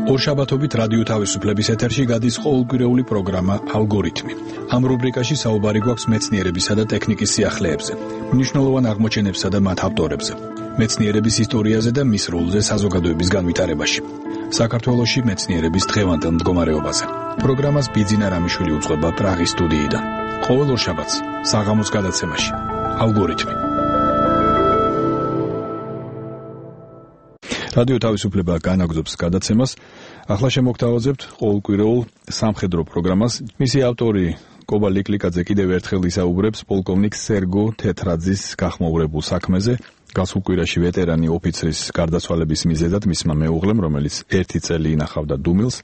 ორშაბათობით რადიო თავისუფლების ეთერში გადის ყოველკვირეული პროგრამა ალგორითმი. ამ რუბრიკაში საუბარი გვაქვს მეცნიერებისა და ტექნიკის სიახლეებზე, მნიშვნელოვან აღმოჩენებსა და მათ ავტორებზე, მეცნიერების ისტორიაზე და მის როლზე საზოგადოების განვითარებაში. საქართველოში მეცნიერების დღევანდელ მდგომარეობაზე. პროგრამას ბიძინა რამიშვილი უძღვება პრაღის სტუდიიდან. ყოველ ორშაბათს საღამოს გადაცემაში ალგორითმი. რადიო თავისუფლება განაგრძობს გადაცემას. ახლა შემოგთავაზებთ ყოველკვირეულ სამხედრო პროგრამას. მისი ავტორი კობა ლიკლიკაძე კიდევ ერთხელ ისაუბრებს პოლკოვნიკ სერგო თეთრაძის გახმოურებულ საქმეზე. გასულ კვირაში ვეტერანი ოფიცრის გარდაცვალების მიზეზად მისმა მეუღლემ, რომელიც 1 წელი ინახავდა დუმილს,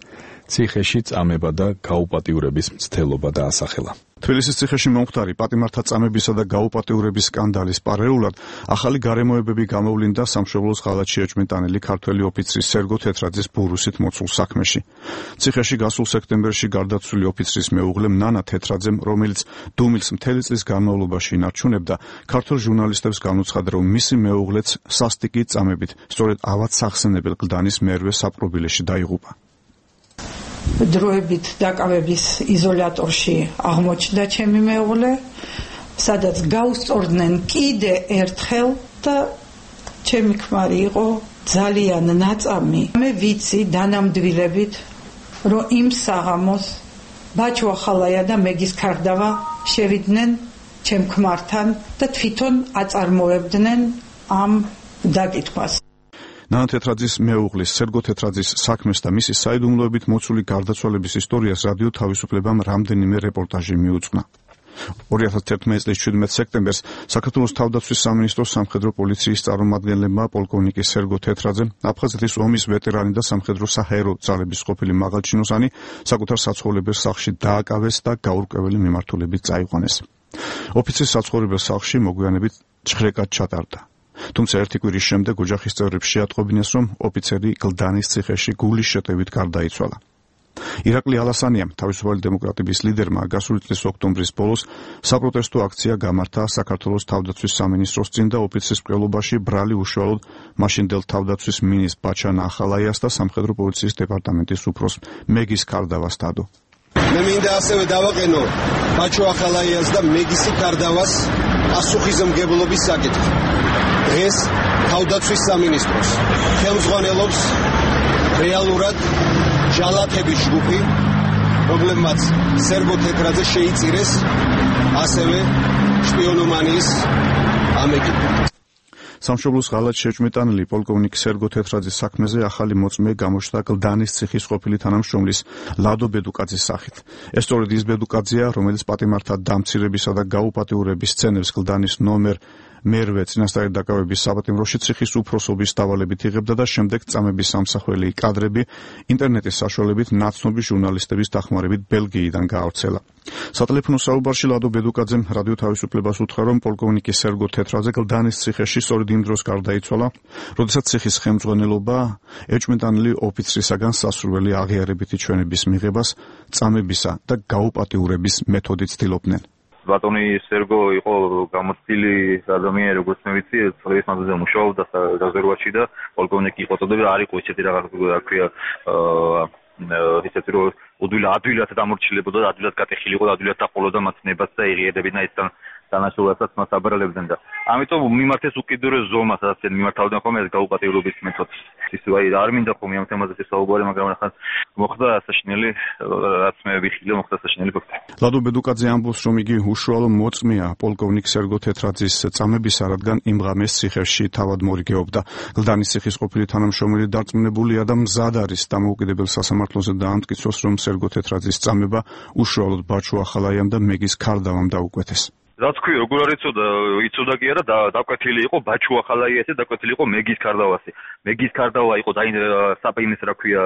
ციხეში წამება და გაუპატიურების მცდელობა დაასახელა. თბილისის ციხეში მომხდარი პატიმართა წამებისა და გაუპატიურების სკანდალის პარალელურად ახალი გარემოებები გამოვლინდა სამშობლოს ღალატში ეჭვმიტანილი ქართველი ოფიცრის სერგო თეთრაძის ბურუსით მოცულ საქმეში. ციხეში გასულ სექტემბერში გარდაცვლილი ოფიცრის მეუღლემ ნანა თეთრაძემ, რომელიც დუმილს მთელი წლის განმავლობაში ინარჩუნებდა, ქართულ ჟურნალისტებს განუცხადა, რომ მისი მეუღლეც სასტიკი წამებით სწორედ ავად სახსენებელ კლდანის მერვე საპყრობილეში დაიღუპა. დროებით დაკავების იზოლატორში აღმოჩნდა ჩემი მეუღლე, სადაც გაუსწორდნენ კიდე ერთხელ და ჩემი ქმარი იყო ძალიან ნაწამი. მე ვიცი დანამდვილებით, რომ იმ საღამოს ბაჩო ახალაია და მეგის ქარდავა შევიდნენ ჩემ ქმართან და თვითონ აწარმოებდნენ ამ დაკითხვას. ნანა თეთრაძის მეუღლის სერგო თეთრაძის საქმეს და მისი საიდუმლოებით მოცული გარდაცვალების ისტორიას რადიო თავისუფლებამ რამდენიმე რეპორტაჟი მიუძღვნა. 2011 წლის 17 სექტემბერს საქართველოს თავდაცვის სამინისტროს სამხედრო პოლიციის წარმომადგენლებმა პოლკოვნიკი სერგო თეთრაძე, აფხაზეთის ომის ვეტერანი და სამხედრო საჰაერო ძალების ყოფილი მაღალჩინოსანი, საკუთარ საცხოვრებელ სახლში დააკავეს და გაურკვეველი მიმართულებით წაიყვანეს. ოფიცრის საცხოვრებელ სახლში მოგვიანებით ჭხრეკად ჩატარდა. თუმცა ერთი კვირის შემდეგ ოჯახის წევრებს შეატყობინეს, რომ ოფიცერი კლდანის ციხეში გულის შეტევით გარდაიცვალა. ირაკლი ალასანიამ, თავისუფალი დემოკრატების ლიდერმა, გასული წლის ოქტომბრის ბოლოს საპროტესტო აქცია გამართა საქართველოს თავდაცვის სამინისტროს წინ და ოფიცრის მკვლელობაში ბრალი უშუალოდ მაშინდელ თავდაცვის მინისტრ ბაჩან ახალაიას და სამხედრო პოლიციის დეპარტამენტის უფროს მეგის ქარდავას დადო. მე მინდა ასევე დავაყენო ბაჩო ახალაიას და მეგისი ქარდავას პასუხისმგებლობის საკითხი. დღეს თავდაცვის სამინისტროს ხელმძღვანელობს რეალურად ჟალათების ჯგუფი, რომლებმაც სერგო თეთრაძე შეიწირეს, ასევე შპიონომანიის ამეგი. სამშობლოს ღალატში ეჭვმიტანილი პოლკოვნიკ სერგო თეთრაძის საქმეზე ახალი მოწმე გამოჩნდა კლდანის ციხის ყოფილი თანამშრომლის ლადო ბედუკაძის სახით. ეს სწორედ ის ბედუკაძეა, რომელიც პატიმართა დამცირებისა და გაუპატიურების სცენებს კლდანის ნომერ მერვე წინასწარი დაკავების საპატიმროში ციხის უფროსობის დავალებით იღებდა და შემდეგ წამების სამსახველი კადრები ინტერნეტის საშუალებით ნაცნობი ჟურნალისტების დახმარებით ბელგიიდან გაავრცელა. სატელეფონო საუბარში ლადო ბედუკაძემ რადიო თავისუფლებას უთხრა, რომ პოლკოვნიკი სერგო თეთრაძე გლდანის ციხეში სწორედ იმ დროს გარდაიცვალა, როდესაც ციხის ხელმძღვანელობა ეჭვმიტანილი ოფიცრისაგან სასურველი აღიარებითი ჩვენების მიღებას, წამებისა და გაუპატიურების მეთოდით ცდილობდნენ. ბატონი სერგო იყო გამოცდილი ადამიანი, როგორც მე ვიცი, წლების მანძილზე მუშაობდა რეზერვაში და პოლკოვნიკი იყო წოდება, არ იყო ისეთი რაღაც, რა ქვია, ისეთი რომ ადვილად დამორჩილებოდა და ადვილად გატეხილიყო და ადვილად დაყოლოდა მათ ნებას და იღიერებინა ისთან დანაშაულებსაც მას აბრალებდნენ და ამიტომ მიმართეს უკიდურეს ზომას, სადაც მიმართავდნენ ხოლმე ეს გაუპატიურობის მეთოდს. ის არ მინდა ხოლმე ამ თემაზე საუბარი, მაგრამ ახლა მოხდა საშინელი, რაც მე ვიხილე, მოხდა საშინელი ფაქტი. ლადო ბედუკაძე ამბობს, რომ იგი უშუალო მოწმეა პოლკოვნიკ სერგო თეთრაძის წამებისა, რადგან იმ ღამეს ციხეში თავად მორიგეობდა. გლდანის ციხის ყოფილი თანამშრომელი დარწმუნებულია და მზად არის დამოუკიდებელ სასამართლოზე დაამტკიცოს, რომ სერგო თეთრაძის წამება უშუალოდ ბაჩუ ახალაიამ და მეგის ქარდავამ დაუკვეთეს. რაც ქვია, როგორ არ იცოდა კი არა, დაკვეთილი იყო ბაჩუ ახალაიასი, დაკვეთილი იყო მეგის ქარდავასი. მეგის ქარდავა იყო საპინის, რა ქვია,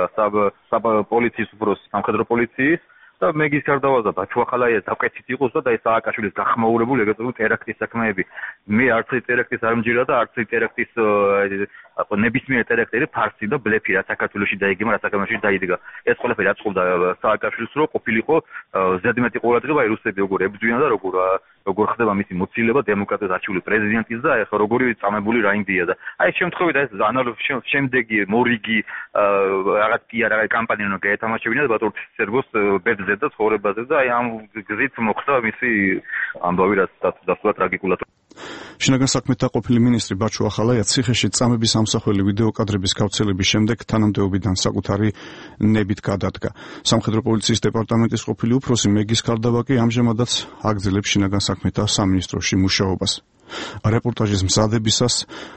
პოლიციის უფროსი, სამხედრო პოლიციის და მეგის ქარდავა და ბაჩუ ახალაიას დაკვეთით იყოს და ეს სააკაშვილის გახმაურებული ეგრეთებული ტერაქტის საქმეები. მე არც ერთი ტერაქტის არ მჯერა და არც ერთი ტერაქტის ნებისმიერ ტერაქტი ფარსი და ბლეფი რა საქართველოში დაიგება, რა საქართველოში დაიდგა. ეს ყველაფერი აწყობდა სააკაშვილს, რომ ყოფილიყო ზედმეტი ყურადღება რუსები როგორ ებრძვიან და როგორ ხდება მისი მოცილება დემოკრატიას არჩეული პრეზიდენტის და ეხლა როგორი წამებული რაინდია და აი შემთხვევით ეს შემდეგი მორიგი რაღაც კი არა კამპანია უნდა გაეთამაშებინა და ბატონ სერგოს ბედზე და ცხოვრებაზე და აი ამ გზით მოხდა მისი ამბავი, რაც დასწრა ტრაგიკულად. შინაგან საქმეთა ყოფილი მინისტრი ბაჩუ ახალაია ციხეში წამების ამსახველი ვიდეო კადრების გავრცელების შემდეგ თანამდებობიდან საკუთარი ნებით გადადგა. სამხედრო პოლიციის დეპარტამენტის ყოფილი უფროსი მეგის ქარდავა კი ამჟამადაც აგრძელებს შინაგან საქმეთა სამინისტროში მუშაობას. რეპორტაჟის მზადებისას,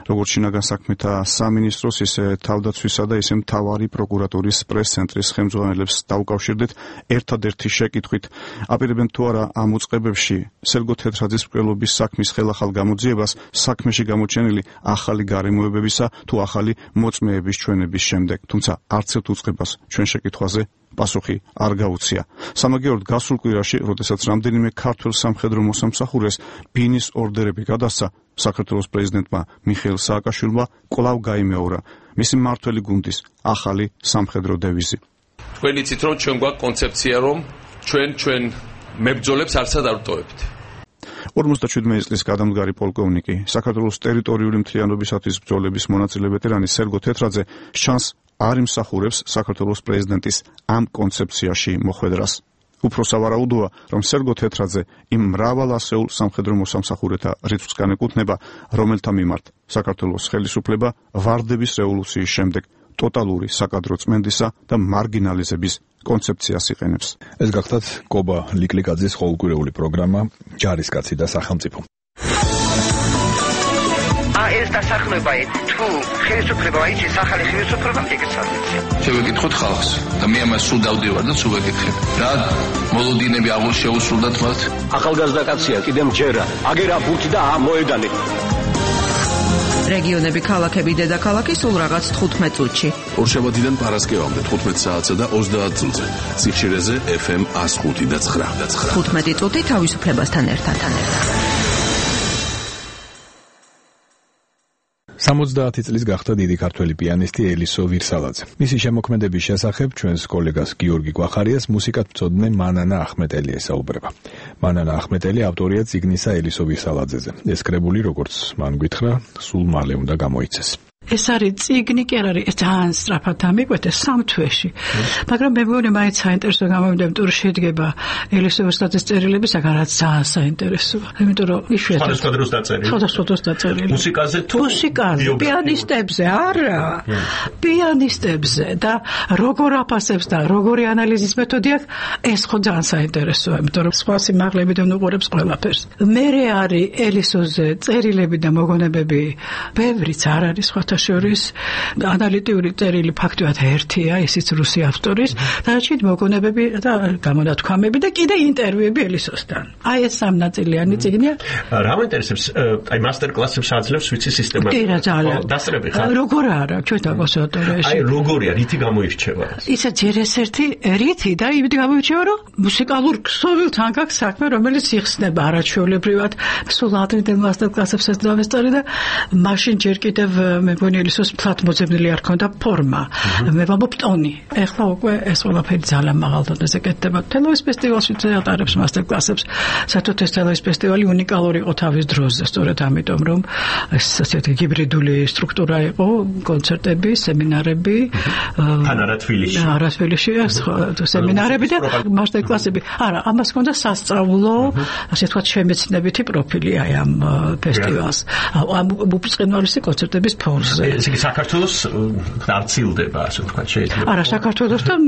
როგორც შინაგან საქმეთა სამინისტროს, ისე თავდაცვისა და ისე მთავარი პროკურატურის პრეს-ცენტრის ხელმძღვანელებს დაუკავშირდით ერთადერთი შეკითხვით, აპირებენ თუ არა ამ უწყებებში სერგო თეთრაძის მკვლელობის საქმის ხელახალ გამოძიებას საქმეში გამოჩენილი ახალი გარემოებებისა თუ ახალი მოწმეების ჩვენების შემდეგ. თუმცა არც ერთ უწყებას ჩვენ შეკითხვაზე პასუხი არ გაუწია. სამაგიეროდ გასულ კვირაში, როდესაც რამდენიმე ქართველ სამხედრო მოსამსახურეს ბინის ორდერები გადასცა, საქართველოს პრეზიდენტმა მიხეილ სააკაშვილმა კვლავ გაიმეორა მისი მმართველი გუნდის ახალი სამხედრო დევიზი. თქვენ იცით, რომ ჩვენ გვაქვს კონცეფცია, რომ ჩვენ მებრძოლებს არცად არ ვტოვებთ. 57 წლის გადამდგარი პოლკოვნიკი, საქართველოს ტერიტორიული მთლიანობისათვის ბრძოლების მონაწილე ვეტერანი სერგო თეთრაძე შანსს არ იმსახურებს საქართველოს პრეზიდენტის ამ კონცეფციაში მოხვედრას. უფრო სავარაუდოა, რომ სერგო თეთრაძე იმ მრავალ ასეულ სამხედრო მოსამსახურეთა რიცხვს განეკუთვნება, რომელთა მიმართ საქართველოს ხელისუფლება ვარდების რევოლუციის შემდეგ ტოტალური საკადრო წმენდისა და მარგინალიზების კონცეფციას იყენებს. ეს გახლავთ კობა ლიკლიკაძის ყოველკვირეული პროგრამა ჯარისკაცი და სახელმწიფო. ეს დასახლება თუ ხელისუფლება აიჭის ახალი ხელისუფლება მიგეცადეთ. შევეკითხოთ ხალხს და მე ამას სულ დავდივარ და სულ ვეკითხებ. რა მოლოდინები აღულ შეუსრულდათ მათ? ახალგაზრდა კაცია, კიდემ ჯერა, აგერა ბურთი და მოედანი. რეგიონები, ქალაქები, დედაქალაქი სულ რაღაც 15 წუთში. ორშაბათიდან პარასკევამდე 15 საათსა და 30 წუთზე. სიხშირეზე FM 105 და 9. 15 წუთი თავისუფლებასთან ერთად. 70 წლის გახდა დიდი ქართველი პიანისტი ელისო ვირსალაძე. მისი შემოქმედების შესახებ ჩვენს კოლეგას გიორგი გვახარიას მუსიკათმცოდნე მანანა ახმეტელი ესაუბრება. მანანა ახმეტელი ავტორია წიგნისა ელისო ვირსალაძეზე. ეს კრებული, როგორც მან გითხრა, სულ მალე უნდა გამოიცეს. ეს არის წიგნი, კი არ არის, ეს ძალიან სწრაფად ამიკვეთეს 3 თვეში. მაგრამ მე მგონი მაინც საინტერესო გამოვიდა, იმიტომ რომ შედგება ელისო ვირსალაძის წერილებისაგან, რაც ძალიან საინტერესოა. იმიტომ რომ იშვიათად სხვადასხვა დროს დაწერილი. სხვადასხვა დროს დაწერილი. მუსიკაზე თუ პიანისტებზე, არა. პიანისტებზე და როგორ აფასებს და როგორი ანალიზის მეთოდი აქვს, ეს ხო ძალიან საინტერესოა, იმიტომ რომ სხვა სიმაღლებიდან უყურებს ყველაფერს. მერე არის ელისოზე წერილები და მოგონებები, ბევრიც არ არის სხვათა სხვათა შორის ანალიტიური წერილი ფაქტობრივად ერთია, ისიც რუსი ავტორის, დანარჩენი მოგონებები და გამონათქვამები და კიდე ინტერვიუები ელისოსთან. აი ეს სამნაწილიანი წიგნია. რა მოინტერესებს, აი მასტერ-კლასებს აძლევს ვიცი სისტემატურად. კი რა ძალიან. დასწრები ხარ? როგორ არა, ჩვენთან კონსერვატორიაში. აი როგორია, რითი გამოირჩევა? ისა ჯერ ესერთი რითი და იმით გამოირჩევა, რომ მუსიკალურ ქსოვილთან გაქვს საქმე, რომელიც იხსნება არაჩვეულებრივად. სულ ადრინდელ მასტერ-კლასებსაც დავესწარი და მაშინ ჯერ კიდევ მე მგონი ელისოს ფლად მოძებნილი არ ქონდა ფორმა. მე ვამბობ ტონი. ეხლა უკვე ეს ყველაფერი ძალიან მაღალ დონეზე კეთდება. თელავის ფესტივალში ატარებს მასტერ-კლასებს. საერთოდ ეს თელავის ფესტივალი უნიკალური იყო თავის დროზე, სწორედ ამიტომ, რომ ეს ასეთი ჰიბრიდული სტრუქტურა იყო, კონცერტები, სემინარები. არა თბილისში, სემინარები და მასტერ-კლასები. არა, ამას ჰქონდა სასწავლო, ასე ვთქვათ, შემეცნებითი პროფილი აი ამ ფესტივალს. ამ უბრწყინვალესი კონცერტების ფონზე. ესე იგი საქართველოს არცილდება, ასე ვთქვათ, შეიძლება. არა, საქართველოსთან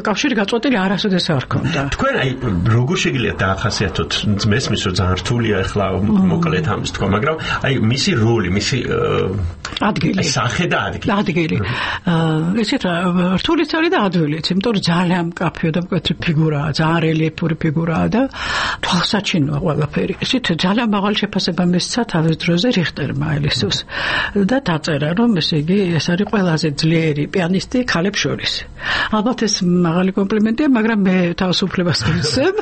კავშირი გაწყვეტილი არასოდეს არ ჰქონდა. თქვენ აი როგორ შეგიძლიათ დაახასიათოთ, მესმის რომ ძალიან რთულია ახლა მოკლედ ამის თქვა, მაგრამ აი მისი როლი, მისი ადგილი, სახე და ადგილი. ადგილი. ესეთ რთულიც არის და ადვილიც, იმიტომ რომ ძალიან მკაფიო და მკვეთრი ფიგურაა, ძალიან რელიეფური ფიგურაა და თვალსაჩინოა ყველაფერი. ესეთ ძალიან მაღალი შეფასება მისცა თავის დროზე რიხტერმა ელისოს და დაწერა, რომ ესე იგი ეს არის ყველაზე ძლიერი პიანისტი ქალებს შორის. ალბათ ეს მაღალი კომპლიმენტია, მაგრამ მე თავისუფლებას ვიცემ.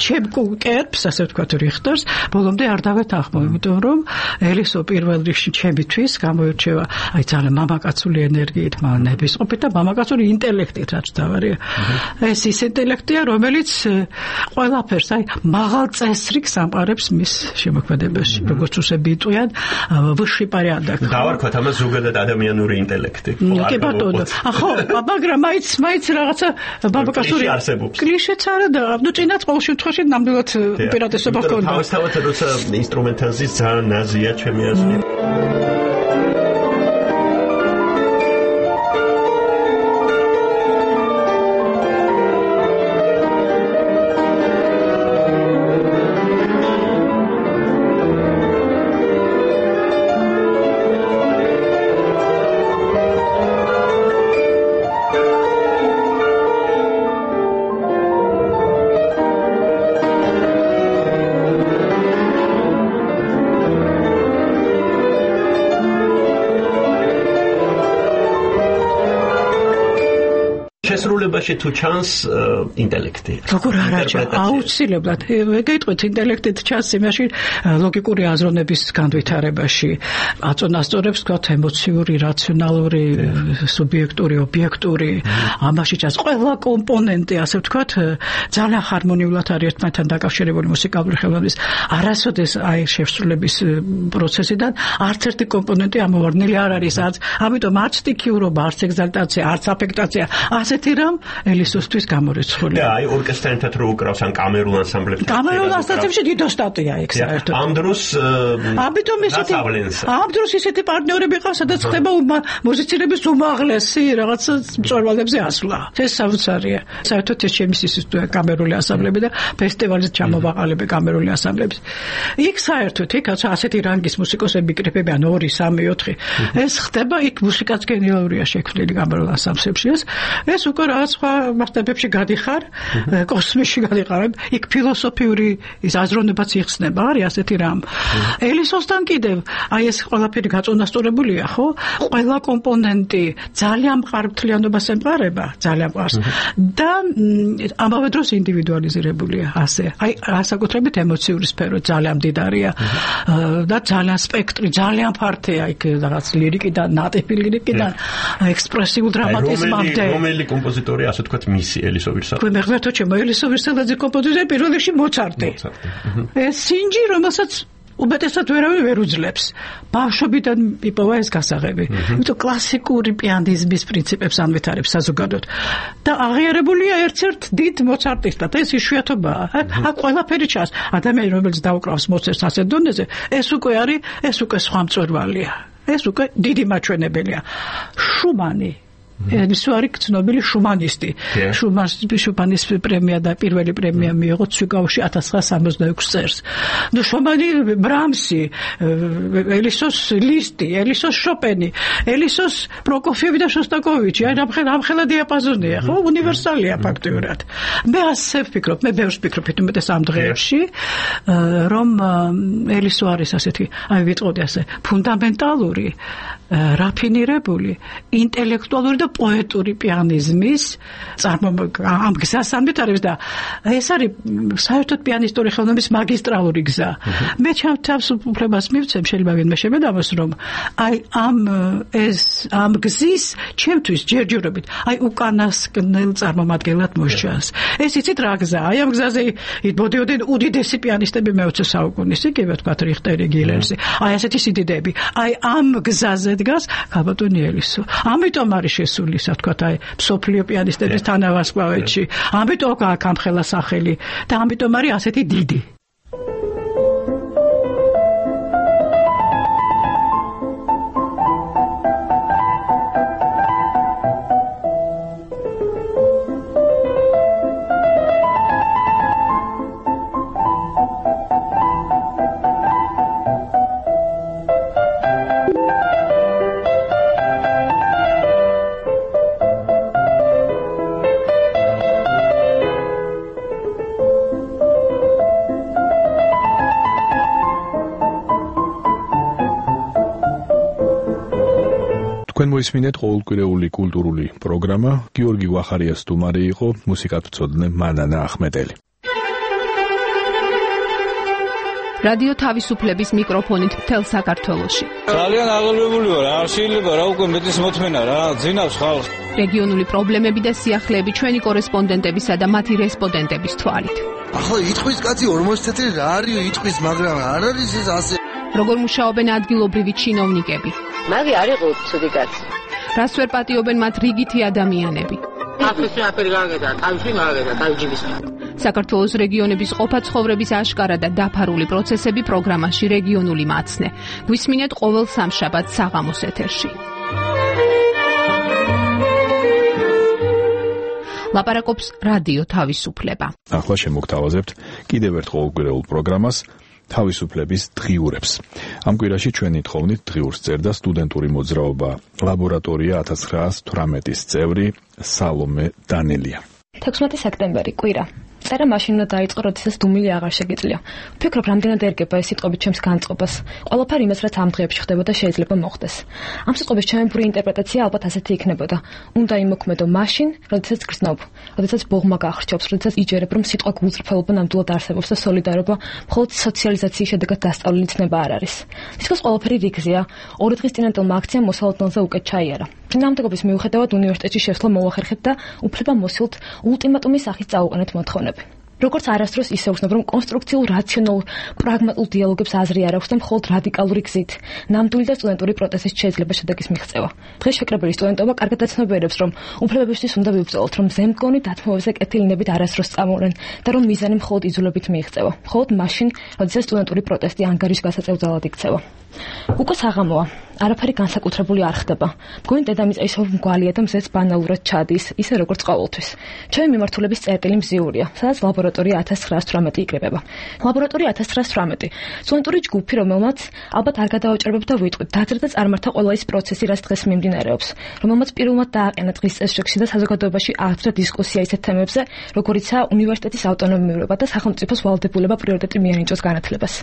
ჩემ კერპს, ასე ვთქვათ, რიხტერს, ბოლომდე არ დავეთანხმო, იმიტომ რომ ელისო პირველ რიგში ჩემთვის გამოირჩევა აი ძალიან მამაკაცული ენერგიით, ნებისყოფით და მამაკაცური ინტელექტით, რაც დავარია. ეს ის ინტელექტია, რომელიც ყველაფერს აი მაღალ წესრიგს ამყარებს მის შემოქმედებაში, როგორც უსები იტყვიან, ვысший порядок. დავარქვათ ამას ზოგადად ადამიანური ინტელექტი. კი ბატონო. ხო, მაგრამ მაიც რაღაცა მამაკაცური კლიშეც არა და ნუ წინათ ყოველ შემთხვევაში ნამდვილად უპირატესობა ჰქონდა. თავისთავად როცა ინსტრუმენტალიზმის ძალიან ნაზია ჩემი აზრით. შესრულებაში თუ ჩანს ინტელექტი. როგორ არა, აუცილებლად. გეტყვით ინტელექტით ჩანს იმაში ლოგიკური აზროვნების განვითარებაში. აწონასწორებს თქვათ ემოციური, რაციონალური, სუბიექტური, ობიექტური. ამაში ჩანს ყველა კომპონენტი, ასე ვთქვათ, ძალიან ჰარმონიულად არის ერთმანეთთან დაკავშირებული მუსიკალური ხელოვნების. არასოდეს აი შესრულების პროცესიდან არც ერთი კომპონენტი ამოვარდნილი არ არის. ამიტომ არც სტიქიურობა, არც ეგზალტაცია, არც აფექტაცია ასეთი რამ ელისოსთვის გამორიცხული. და აი ორკესტრთან ერთად რო უკრავს ან კამერულ ანსამბლებში. კამერულ ანსამბლებში დიდო სტატია იქ საერთოდ. ამ დროს ამ დროს ისეთი პარტნიორები ყავს, სადაც ხდება მუსიცირების უმაღლესი რაღაც მწვერვალებზე ასვლა. ეს საოცარია. საერთოდ ეს ჩემი სისტემაა კამერული ანსამბლები და ფესტივალზე ჩამოვაყალიბე კამერული ანსამბლებს. იქ საერთოდ იქ ასეთი რანგის მუსიკოსები კრიფებიან 2, 3, 4. ეს ხდება იქ მუსიკაც გენიალურია შექმნილი კამერულ ანსამბლებში. ეს უკვე რაღაც სხვა მასშტაბებში გადიხარ, კოსმოსში გადიხარ, იქ ფილოსოფიური ის აზროვნებაც იხსნება, არის ასეთი რამ. ელისოსთან კიდევ აი ეს ყველაფერი გაწონასწორებულია, ხო? ყველა კომპონენტი ძალიან მყარბთლიანობას ემყარება, ძალიან მყარს. და ამავე დროს ინდივიდუალიზირებულია ასე. აი ასაკუთრებით ემოციური სფერო ძალიან მდიდარია და ძალიან სპექტრი, ძალიან ფართეა იქ რაღაც ლირიკიდან, ნატიფი ლირიკიდან, ექსპრესიულ დრამატიზმამდე. რომელი კომპოზიტორი ასე თქვათ მისი ელისო ვირსალაძე? მე მეგრეთო ჩემო ელისო ვირსალაძე კომპოზიტორი პირველ რიგში მოცარტი. ეს სინჯი, რომელსაც უბედესად ვერ უძლებს. ბავშვობიდან იპოვა ეს გასაღები. იმიტომ კლასიკური პიანიზმის პრინციპებს ანვითარებს საზოგადოდ. და აღიარებულია ერთ-ერთ დიდ მოცარტისტად. ეს იშვიათობაა. აქ ყველაფერი ჩანს. ადამიანი, რომელიც დაუკრავს მოცარტს ასეთ დონეზე, ეს უკვე სხვა მწვერვალია. ეს უკვე დიდი მაჩვენებელია. შუმანი ელისო არის ცნობილი შუმანისტი. შუმანის პრემია და პირველი პრემია მიიღო ცვიკაუში 1966 წელს. ნუ შუმანი, ბრამსი, ელისოს ლისტი, ელისოს შოპენი, ელისოს პროკოფიევი და შოსტაკოვიჩი, აი ამხელა დიაპაზონია, ხო, უნივერსალია ფაქტიურად. მე ასე ვფიქრობ, მე ბევრს ვფიქრობ უმეტეს ამ დღეებში, რომ ელისო არის ასეთი, აი ვიტყოდი ასე, ფუნდამენტალური, რაფინირებული, ინტელექტუალური და პოეტური პიანიზმის ამ გზას ამიტარებს და ეს არის საერთოდ პიანისტური ხელოვნების მაგისტრალური გზა. მე ჩემ თავს უფლებას მივცემ, შეიძლება ვინმე შემედამოს, რომ აი ამ გზის ჩემთვის ჯერჯერობით აი უკანასკნელ წარმომადგენლად მოსჩანს. ეს იცით რა გზაა? აი ამ გზაზე იბოდიოდნენ უდიდესი პიანისტები მე-20 საუკუნის, იგივე თქვა რიხტერი, გილერსი. აი ასეთი სიდიდეები. აი ამ გზაზე დგას ქალბატონი ელისო. ამიტომ არის შესული, ასე ვთქვათ, აი მსოფლიო პიანისტების თანავარსკვლავედში. ამიტომ აქვს ამხელა სახელი და ამიტომ არის ასეთი დიდი. მოისმინეთ ყოველკვირეული კულტურული პროგრამა. გიორგი ვახარიას სტუმარი იყო მუსიკათმცოდნე მანანა ახმეტელი. რადიო თავისუფლების მიკროფონით მთელ საქართველოში. ძალიან აღელვებული ვარ, არ შეიძლება რა უკვე მეტის მოთმენა რა, ძინავს ხალხს. რეგიონული პრობლემები და სიახლეები ჩვენი კორესპონდენტებისა და მათი რესპონდენტების თვალით. ახლა იტყვის კაცი 40 წელი რა არის იტყვის, მაგრამ არ არის ეს ასე. როგორ მუშაობენ ადგილობრივი ჩინოვნიკები? მაგი არ იყო ცუდი კაცი. რას ვერ პატიობენ მათ რიგითი ადამიანები? აფრიკაში აფერი გაგედა, თავში მაგედა, თავჯიბის. საქართველოს რეგიონების ყოფა-ცხოვრების აშკარა და დაფარული პროცესები პროგრამაში რეგიონული მაცნე. გვისმინეთ ყოველ სამშაბათს საღამოს ეთერში. ლაპარაკობს რადიო თავისუფლება. ახლა შემოგთავაზებთ კიდევ ერთ ყოველკვირეულ პროგრამას თავისუფლების დღიურებს. ამ კვირაში ჩვენი თხოვნით დღიურს წერდა სტუდენტური მოძრაობა ლაბორატორია 1918-ის წევრი სალომე დანელია. 16 სექტემბერი კვირა. წერა მაშინ უნდა დაიწყო, როდესაც დუმილი აღარ შეგიძლია. ვფიქრობ, რამდენად ერგება ეს სიტყვები ჩემს განწყობას. ყველაფერი იმას, რაც ამ დღეებში ხდებოდა, შეიძლება მოხდეს. ამ სიტყვების ჩემი პური ინტერპრეტაცია ალბათ ასეთი იქნებოდა. უნდა იმოქმედო მაშინ, როდესაც გრძნობ, როდესაც ბოღმა გახრჩობს, როდესაც იჯერებ, რომ სიტყვა გულწრფელობა ნამდვილად არსებობს და სოლიდარობა მხოლოდ სოციალიზაციის შედეგად დასწავლილი ცნება არ არის. თითქოს ყველაფერი რიგზეა. 2 დღის წინანდელმა აქციამ მოსალოდნელზე უკეთ ჩაიარა. წინააღმდეგობის მიუხედავად უნივერსიტეტში შესვლა მოახერხეთ და უფლება მოსილთ ულტიმატუმის სახით წაუყენეთ მოთხოვნები. როგორც არასდროს ისე ვხსნებ, რომ კონსტრუქციულ, რაციონალურ, პრაგმატულ დიალოგებს აზრი არ აქვს და მხოლოდ რადიკალური გზით, ნამდვილი და სტუდენტური პროტესტის შეიძლება შედეგის მიღწევა. დღეს შეკრებილი სტუდენტობა კარგად აცნობიერებს, რომ უფლებებისთვის უნდა ვიბრძოლოთ, რომ ზემდგონი დათმობებზე კეთილინებით არასდროს წამოვლენ და რომ მიზანი მხოლოდ იძულებით მიიღწევა. მხოლოდ მაშინ, როდესაც სტუდენტური პროტესტი ანგარის გასაწევ ძალად იქცევა. უკვე საღამოა. არაფერი განსაკუთრებული არ ხდება. მგონი დედამიწა ისევ მგვალია და მზეც ბანალურად ჩადის, ისე როგორც ყოველთვის. ჩემი მიმართულების წერტილი მზიურია, სადაც ლაბორატორია 1918 იკრიბება. ლაბორატორია 1918 სტუდენტური ჯგუფი, რომელმაც ალბათ არ გადავაჭრებებ და ვიტყვით, დაძრა წარმართა ყველა ის პროცესი, რაც დღეს მიმდინარეობს, რომელმაც პირველად დააყენა დღის წესრიგში და საზოგადოებაში აართვა დისკუსია ისეთ თემებზე, როგორიცაა უნივერსიტეტის ავტონომიურობა და სახელმწიფოს ვალდებულება პრიორიტეტი მიენიჭოს განათლებას.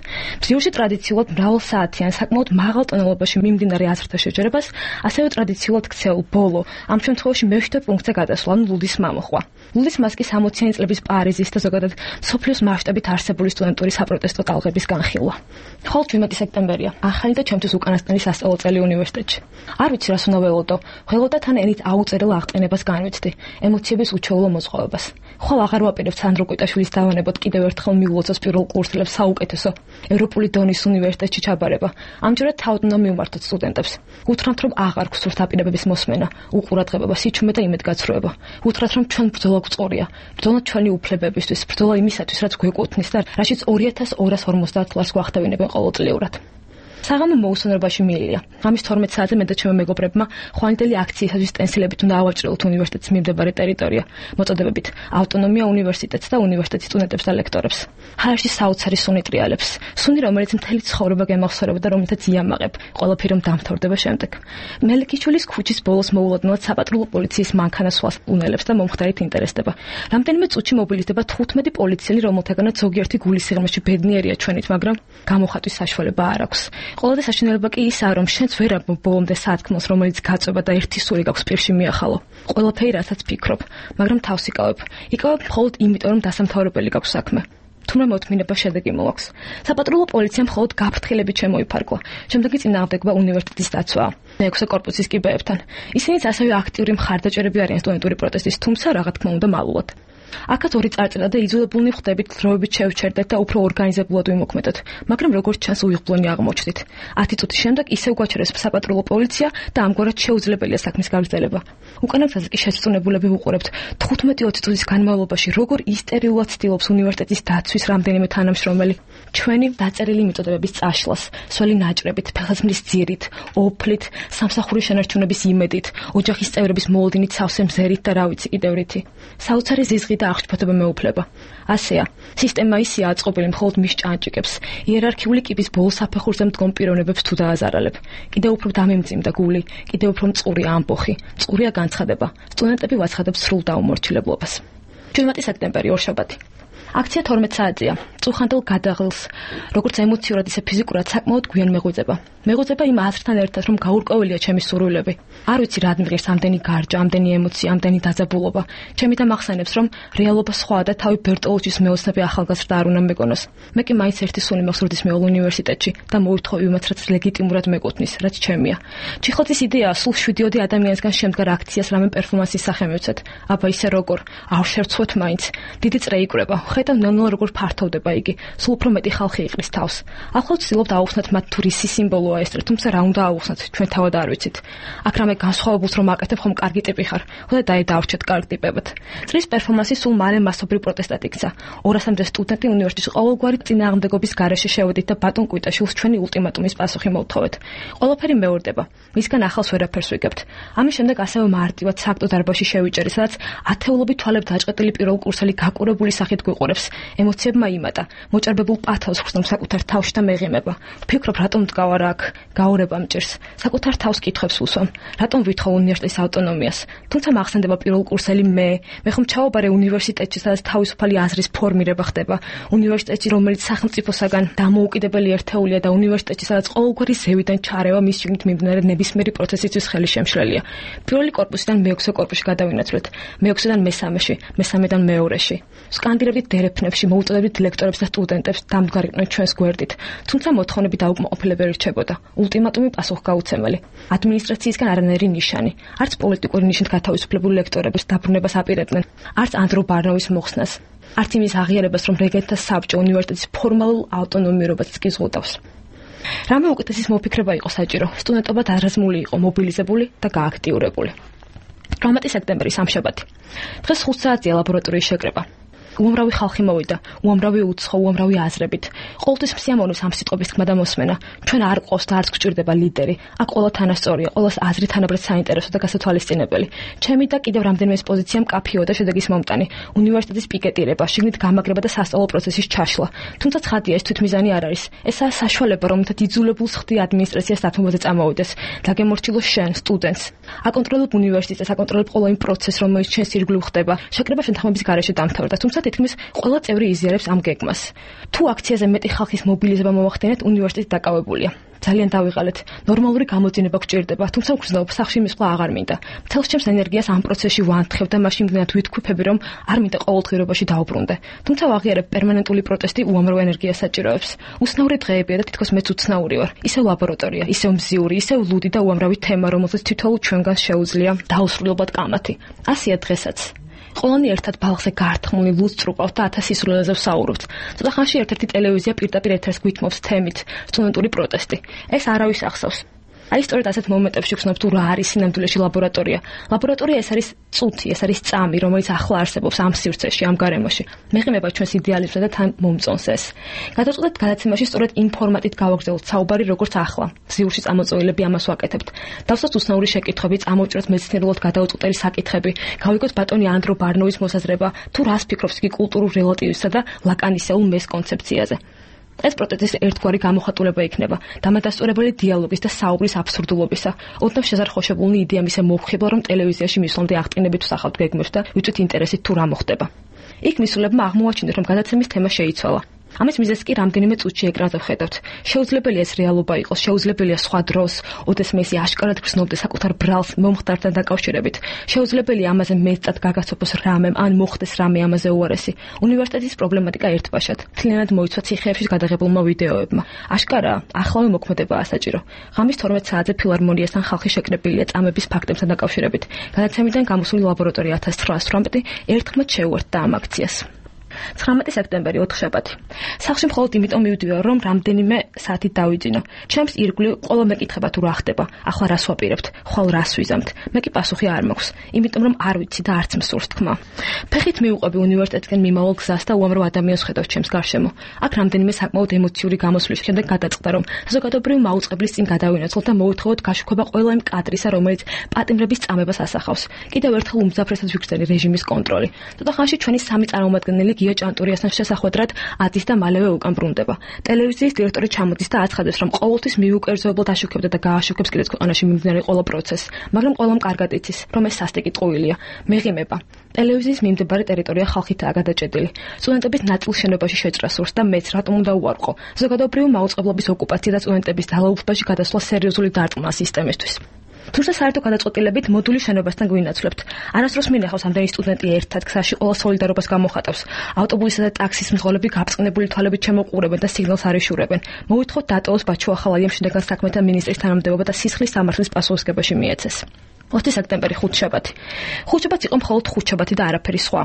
მზიურში ტრადიციულად მრავალსაათიან, საკმაოდ მაღალ ტონალობაში მიმდინარე აზრთა შეჯერებას, ასევე ტრადიციულად ქცეულ ბოლო, ამ შემთხვევაში მე-7 პუნქტზე გადასვლა, ლუდის მამოხვა. ლუდის მას კი 60-იანი წლების პარიზის და ზოგადად სოფლიოს მასშტაბით არსებული სტუდენტური საპროტესტო ტალღების განხილვა. ხოლო 17 სექტემბერია, ახალი და ჩემთვის უკანასკნელი სასწავლო წელი უნივერსიტეტში. არ ვიცი რას უნდა ველოდო, ველოდა თან ენით აუწერელ აღტყენებას განვიცდი, ემოციების უჩვეულო მozღავებას. ხვალ აღარ ვაპირებ სანდრო კვიტაშვილის დავანებოთ კიდევ ერთხელ მიულოცოს პირველ კურსელებს საუკეთესო ევროპული დონის უნივერსიტეტში ჩაბარება. ამჯერად თავად უნდა მივმართოთ სტუდენტებს. უთხრათ, რომ აღარ გვსურთ დაპირებების მოსმენა, უყურადღება, სიჩუმე და იმედგაცრუება. უთხრათ, რომ ჩვენ ბრძოლა გვწორია, ბრძოლა ჩვენი უფლებებისთვის, ბრძოლა იმისათვის, რაც გვეკუთვნის და რაშიც 2250 ლარს გვახდევინებენ ყოველწლიურად. საღამო მოუსვენებაში მიილია. ამის 12 საათზე მე და ჩემო მეგობრებმა ხვანიტელი აქციისათვის სტენსილებით უნდა ავაჭრელოთ უნივერსიტეტის მიმდებარე ტერიტორია, მოწოდებებით ავტონომია უნივერსიტეტს და უნივერსიტეტის სტუდენტებს და ლექტორებს. ჰაერში საოცარი სუნი ტრიალებს. სუნი, რომელიც მთელი ცხოვრება გემახსოვრება და რომელთაც იამაყებ, ყველაფერი რომ დამთავრდება შემდეგ. მელიქიშვილის ქუჩის ბოლოს მოულოდნელად საპატრულო პოლიციის მანქანა სვას უნელებს და მომხდარით ინტერესდება. რამდენიმე წუთში მობილიზდება 15 პოლიციელი, რომელთაგანაც ზოგიერთი გულის სიღრმეში ბედნიერია ჩვენით, მაგრამ გამოხატვის საშუალება არ აქვს. ყველაზე საშინელება კი ისაა, რომ შენც ვერ აქვს ბოლომდე სათქმელს, რომელიც გაწובה და ერთი სული გაქვს პირში მიახალო. ყველაფერი რასაც ფიქრობ, მაგრამ თავს იკავებ. იკავებ მხოლოდ იმიტომ, რომ დასამთავრებელი გაქვს საქმე. თუმცა მოთმინება შედეგი მოაქვს. საპატრულო პოლიციამ მხოლოდ გაფრთხილებით შემოიფარგლა. შემდეგი წინააღმდეგობა უნივერსიტეტის დაცვაა. მეექვსე კორპუსის კიბეებთან. ისინიც ასევე აქტიური მხარდაჭერები არიან სტუდენტური პროტესტის, თუმცა რა თქმა უნდა მალულად. აქაც ორი წარწერა და იძულებულნი ხვდებით დროებით შევჩერდეთ და უფრო ორგანიზებულად ვიმოქმედოთ, მაგრამ როგორც ჩანს უიღბლონი აღმოჩნდით. 10 წუთის შემდეგ ისევ გვაჩერეს საპატრულო პოლიცია და ამგვარად შეუძლებელია საქმის გაგრძელება. უკანა გზაზე კი შესწუნებულები ვუყურებთ 15-20 წუთის განმავლობაში როგორ ისტერილულად ცდილობს უნივერსიტეტის დაცვის რამდენიმე თანამშრომელი ჩვენი დაწერილი მიწოდებების წაშლას, სველი ნაჭრებით, ფეხსაცმლის ძირით, ოფლით, სამსახურის შენარჩუნების იმედით, ოჯახის წევრების მოლოდინით, სავსე მზერით და რა ვიცი კიდევ რითი. საოცარი ზიზღი და აღშფოთება მეუფლება. ასეა, სისტემა ისეა აწყობილი მხოლოდ მის ჭანჭიკებს, იერარქიული კიბის ბოლო საფეხურზე მდგომ პიროვნებებს თუ დააზარალებ. კიდევ უფრო დამემძიმდა გული, კიდევ უფრო მწყურია ამბოხი, მწყურია განცხადება. სტუდენტები ვაცხადებს სრულ დაუმორჩილებლობას. 17 სექტემბერი, ორშაბათი. აქცია 12 საათზეა. წუხანდელ გადაღლს, როგორც ემოციურად, ისე ფიზიკურად საკმაოდ გვიან მეღვიძება. მეღვიძება იმ აზრთან ერთად, რომ გაურკვეველია ჩემი სურვილები. არ ვიცი რა მღერს ამდენი გარჯა, ამდენი ემოცია, ამდენი დაძაბულობა. ჩემი და მახსენებს, რომ რეალობა სხვაა და თავი ბერტოლუჩის მეოცნები ახალგაზრდა არ უნდა მეგონოს. მე კი მაინც ერთი სული მეხსოვდეს მეულ უნივერსიტეტში და მოვითხოვი იმათ, რაც ლეგიტიმურად მეკუთვნის, რაც ჩემია. ჩიხოთის იდეაა სულ 7 ადამიანისგან შემდგარ აქციას რამე პერფორმანსის სახე მივცეთ. აბა ისე როგორ? არ შევცვოთ მაინც. დიდი წრე იკვრება. ხედავ ნელ-ნელა როგორ ფართოვდება იგი. სულ უფრო მეტი ხალხი იყრის თავს. ახლავ ვცდილობთ აუხსნათ მათ თუ რისი სიმბოლოა ეს, თუმცა რა უნდა აუხსნათ, ჩვენ თავად არ ვიცით. აქ რამე განსხვავებულს რომ აკეთებ, ხომ კარგი ტიპი ხარ. ხოდა დაიდავრჩეთ კარგ ტიპებად. წრის პერფორმანსი სულ მალე მასობრივ პროტესტად იქცა. 200-მდე სტუდენტი უნივერსიტეტის ყოველგვარი წინააღმდეგობის გარეშე შევედით და ბატონ კვიტაშვილს ჩვენი ულტიმატუმის პასუხი მოვთხოვეთ. ყველაფერი მეორდება. მისგან ახალს ვერაფერს ვიგებთ. ამის შემდეგ ასევე მარტივად საქმო დარბაზში შევიჭერი, სადაც ათეულობით თვალებ დაჭყეტილი პირველ კურსელი გაკურებული სახით გვიყურებს. ემოციებმა იმატა. მოჭარბებულ პათავს ხვსნამ საკუთარ თავში და მეღიმება. ვფიქრობ, რატომ მდგავარ აქ? გაურება მჭირს. საკუთარ თავს კითხვებს ვუსვამ. რატომ ვითხოვ უნივერსიტეტის ავტონომიას? თუმცა მახსენდება პირველ კურსელი მე ხომ ჩავაბარე უნივერსიტეტში, სადაც თავისუფალი აზრის ფორმირება ხდება. უნივერსიტეტში, რომელიც სახელმწიფოსაგან დამოუკიდებელი ერთეულია და უნივერსიტეტში, სადაც ყოველგვარი ზევიდან ჩარევა მის შიგნით მიმდინარე ნებისმიერი პროცესისთვის ხელი შემშლელია. პირველი კორპუსიდან მეექვსე კორპუსში გადავინაცვლეთ. მეექვსედან მესამეში, მესამედან მეორეში. სკანდირებდით დერეფნებში, მოუწოდებდით ლექტორებს და სტუდენტებს დამდგარიყვნენ ჩვენს გვერდით. თუმცა მოთხოვნები დაუკმაყოფილებელი რჩებოდა. ულტიმატუმი პასუხგაუცემელი. ადმინისტრაციისგან არანაირი ნიშანი. არც პოლიტიკური ნიშნით გათავისუფლებული ლექტორებს დაბრუნებას აპირებდნენ, არც ანდრო ბარნოვის მოხსნას. არც იმის აღიარებას, რომ რეგენტთა საბჭო უნივერსიტეტის ფორმალურ ავტონომიურობასაც კი ზღუდავს. რამე უკეთესის მოფიქრება იყო საჭირო. სტუდენტობა დარაზმული იყო, მობილიზებული და გააქტიურებული. 18 სექტემბერი, სამშაბათი. დღეს 5 საათია ლაბორატორიის შეკრება. უამრავი ხალხი მოვიდა, უამრავი უცხო, უამრავი აზრებით. ყოველთვის მსიამოვნებს ამ სიტყვების თქმა და მოსმენა. ჩვენ არ ყავს და არც გვჭირდება ლიდერი. აქ ყველა თანასწორია, ყველას აზრი თანაბრად საინტერესო და გასათვალისწინებელი. ჩემი და კიდევ რამდენიმე პოზიცია მკაფიო და შედეგის მომტანი. უნივერსიტეტის პიკეტირება, შიგნით გამაგრება და სასწავლო პროცესის ჩაშლა. თუმცა ცხადია, ეს თვითმიზანი არ არის. ესაა საშუალება, რომელთაც იძულებულს ხდი ადმინისტრაციას დათმობაზე წამოვიდეს. დაგემორჩილოს შენ, სტუდენტს. აკონტროლებ უნივერსიტეტს, აკონტროლებ ყველა იმ პროცესს, რომელიც ჩვენს ირგვლივ ხდება. შეკრება შეთანხმების გარეშე დამთავრდა, თუმცა თითქმის ყველა წევრი იზიარებს ამ გეგმას. თუ აქციაზე მეტი ხალხის მობილიზება მოვახდინეთ, უნივერსიტეტი დაკავებულია. ძალიან დავიღალეთ. ნორმალური გამოძინება გვჭირდება, თუმცა ვგრძნობ, სახლში მისვლა აღარ მინდა. მთელს ჩემს ენერგიას ამ პროცესში ვანთხებ და მაშინ მგონიათ ვითქვიფები, რომ არ მინდა ყოველდღიურობაში დავუბრუნდე. თუმცა ვაღიარებ, პერმანენტული პროტესტი უამრავ ენერგიას საჭიროებს. უცნაური დღეებია და თითქოს მეც უცნაური ვარ. ისევ ლაბორატორია, ისევ მზიური, ისევ ლუდი და უამრავი თემა, რომელსაც თითოეულ ჩვენგანს შეუძლია დაუსრულებლად კამათი. ასია დღესაც. ყველანი ერთად ბალახზე გართმული ლუდს წრუყავთ და 1000 სისულელეზე ვსაუბრობთ. ცოტა ხანში ერთ-ერთი ტელევიზია პირდაპირ ეთერს გვითმობს თემით სტუდენტური პროტესტი. ეს არავის ახსოვს. აი სწორედ ასეთ მომენტებში ვხსნებ თუ რა არის სინამდვილეში ლაბორატორია. ლაბორატორია ეს არის წუთი, ეს არის წამი, რომელიც ახლა არსებობს ამ სივრცეში, ამ გარემოში. მეღიმება ჩვენს იდეალიზმსა და თან მომწონს ეს. გადავწყვეტეთ გადაცემაში სწორედ იმ ფორმატით გავაგრძელოთ საუბარი როგორც ახლა. ზიურში წამოწოლილები ამას ვაკეთებთ. დავსვათ უცნაური შეკითხვები, წამოვჭრათ მეცნიერულად გადაუწყვეტელი საკითხები, გავიგოთ ბატონი ანდრო ბარნოვის მოსაზრება, თუ რას ფიქრობს იგი კულტურულ რელატივიზმსა და ლაკანისეულ მეს კონცეფციაზე. ეს პროტესტის ერთგვარი გამოხატულება იქნება დამადასტურებელი დიალოგის და საუბრის აბსურდულობისა. ოდნავ შეზარხოშებულნი იდეა მისე მოვხიბლა, რომ ტელევიზიაში მისვლამდე აღტკინებით ვსახავთ გეგმებს და ვიწვით ინტერესით თუ რა მოხდება. იქ მისულებმა აღმოაჩინეს, რომ გადაცემის თემა შეიცვალა. ამის მიზეზს კი რამდენიმე წუთში ეკრანზე ვხედავთ. შეუძლებელია ეს რეალობა იყოს, შეუძლებელია სხვა დროს, ოდესმე ის აშკარად გრძნობდა საკუთარ ბრალს მომხდართან დაკავშირებით. შეუძლებელია ამაზე მეტად გაგაცოფოს რამემ, ან მოხდეს რამე ამაზე უარესი. უნივერსიტეტის პრობლემატიკა ერთბაშად. მთლიანად მოიცვა ციხეებში გადაღებულმა ვიდეოებმა. აშკარაა, ახლავე მოქმედებაა საჭირო. ღამის 12 საათზე ფილარმონიასთან ხალხი შეკრებილია წამების ფაქტებთან დაკავშირებით. გადაცემიდან გამოსული ლაბორატორია 1918 ერთხმად შეუერთდა ამ აქციას. 19 სექტემბერი 4 შაბათი. სახლში მხოლოდ იმიტომ მივდივარ, რომ რამდენიმე საათი დავიძინო. ჩემს ირგვლივ ყველა მეკითხება თუ რა ხდება, ახლა რას ვაპირებთ, ხვალ რას ვიზამთ. მე კი პასუხი არ მაქვს, იმიტომ რომ არ ვიცი და არც მსურს თქმა. ფეხით მივუყვები უნივერსიტეტისკენ მიმავალ გზას და უამრავ ადამიანს ხედავ ჩემს გარშემო. აქ რამდენიმე საკმაოდ ემოციური გამოსვლის შემდეგ გადაწყდა, რომ საზოგადოებრივი მაუწყებლის წინ გადავინაცვლოთ და მოვეთხოვოთ გაშუქება ყველა იმ კადრისა, რომელიც პატიმრების წამებას ასახავს. კიდევ ერთხელ უმძაფრესად ვიგრძნი რეჟიმის კონტროლი. ცოტა ხანში ჩვენი სამი წარმომადგენელი გია ჭანტურიასთან შესახვედრად ადის და მალევე უკან ბრუნდება. ტელევიზიის დირექტორი ჩამოდის და აცხადებს, რომ ყოველთვის მიუკერძოებლად აშუქებდა და გააშუქებს კიდეც ქვეყანაში მიმდინარე ყველა პროცესს, მაგრამ ყველამ კარგად იცის, რომ ეს სასტიკი ტყუილია. მეღიმება. ტელევიზიის მიმდებარე ტერიტორია ხალხითაა გადაჭედილი. სტუდენტების ნაწილ შენობაში შეჭრა სურს და მეც რატომ უნდა უარყო. ზოგადოებრივი მაუწყებლობის ოკუპაცია და სტუდენტების დალაუფლებაში გადასვლა სერიოზული დარტყმა სისტემისთვის. თუმცა საერთო გადაწყვეტილებით მოდულის შენობასთან გვინაცვლებთ. არასდროს მინახავს ამდენი სტუდენტი ერთად გზაში ყველა სოლიდარობას გამოხატავს. ავტობუსისა და ტაქსის მძღოლები გაბრწყინებული თვალებით ჩემოყურებენ და სიგნალს არ იშურებენ. მოვითხოთ დატოვოს ბაჩუ ახალაიამ შინაგან საქმეთა მინისტრის თანამდებობა და სისხლის სამართლის პასუხისგებაში მიეცეს. 20 სექტემბერი 5 შაბათი. 5 შაბათი იყო მხოლოდ 5 შაბათი და არაფერი სხვა.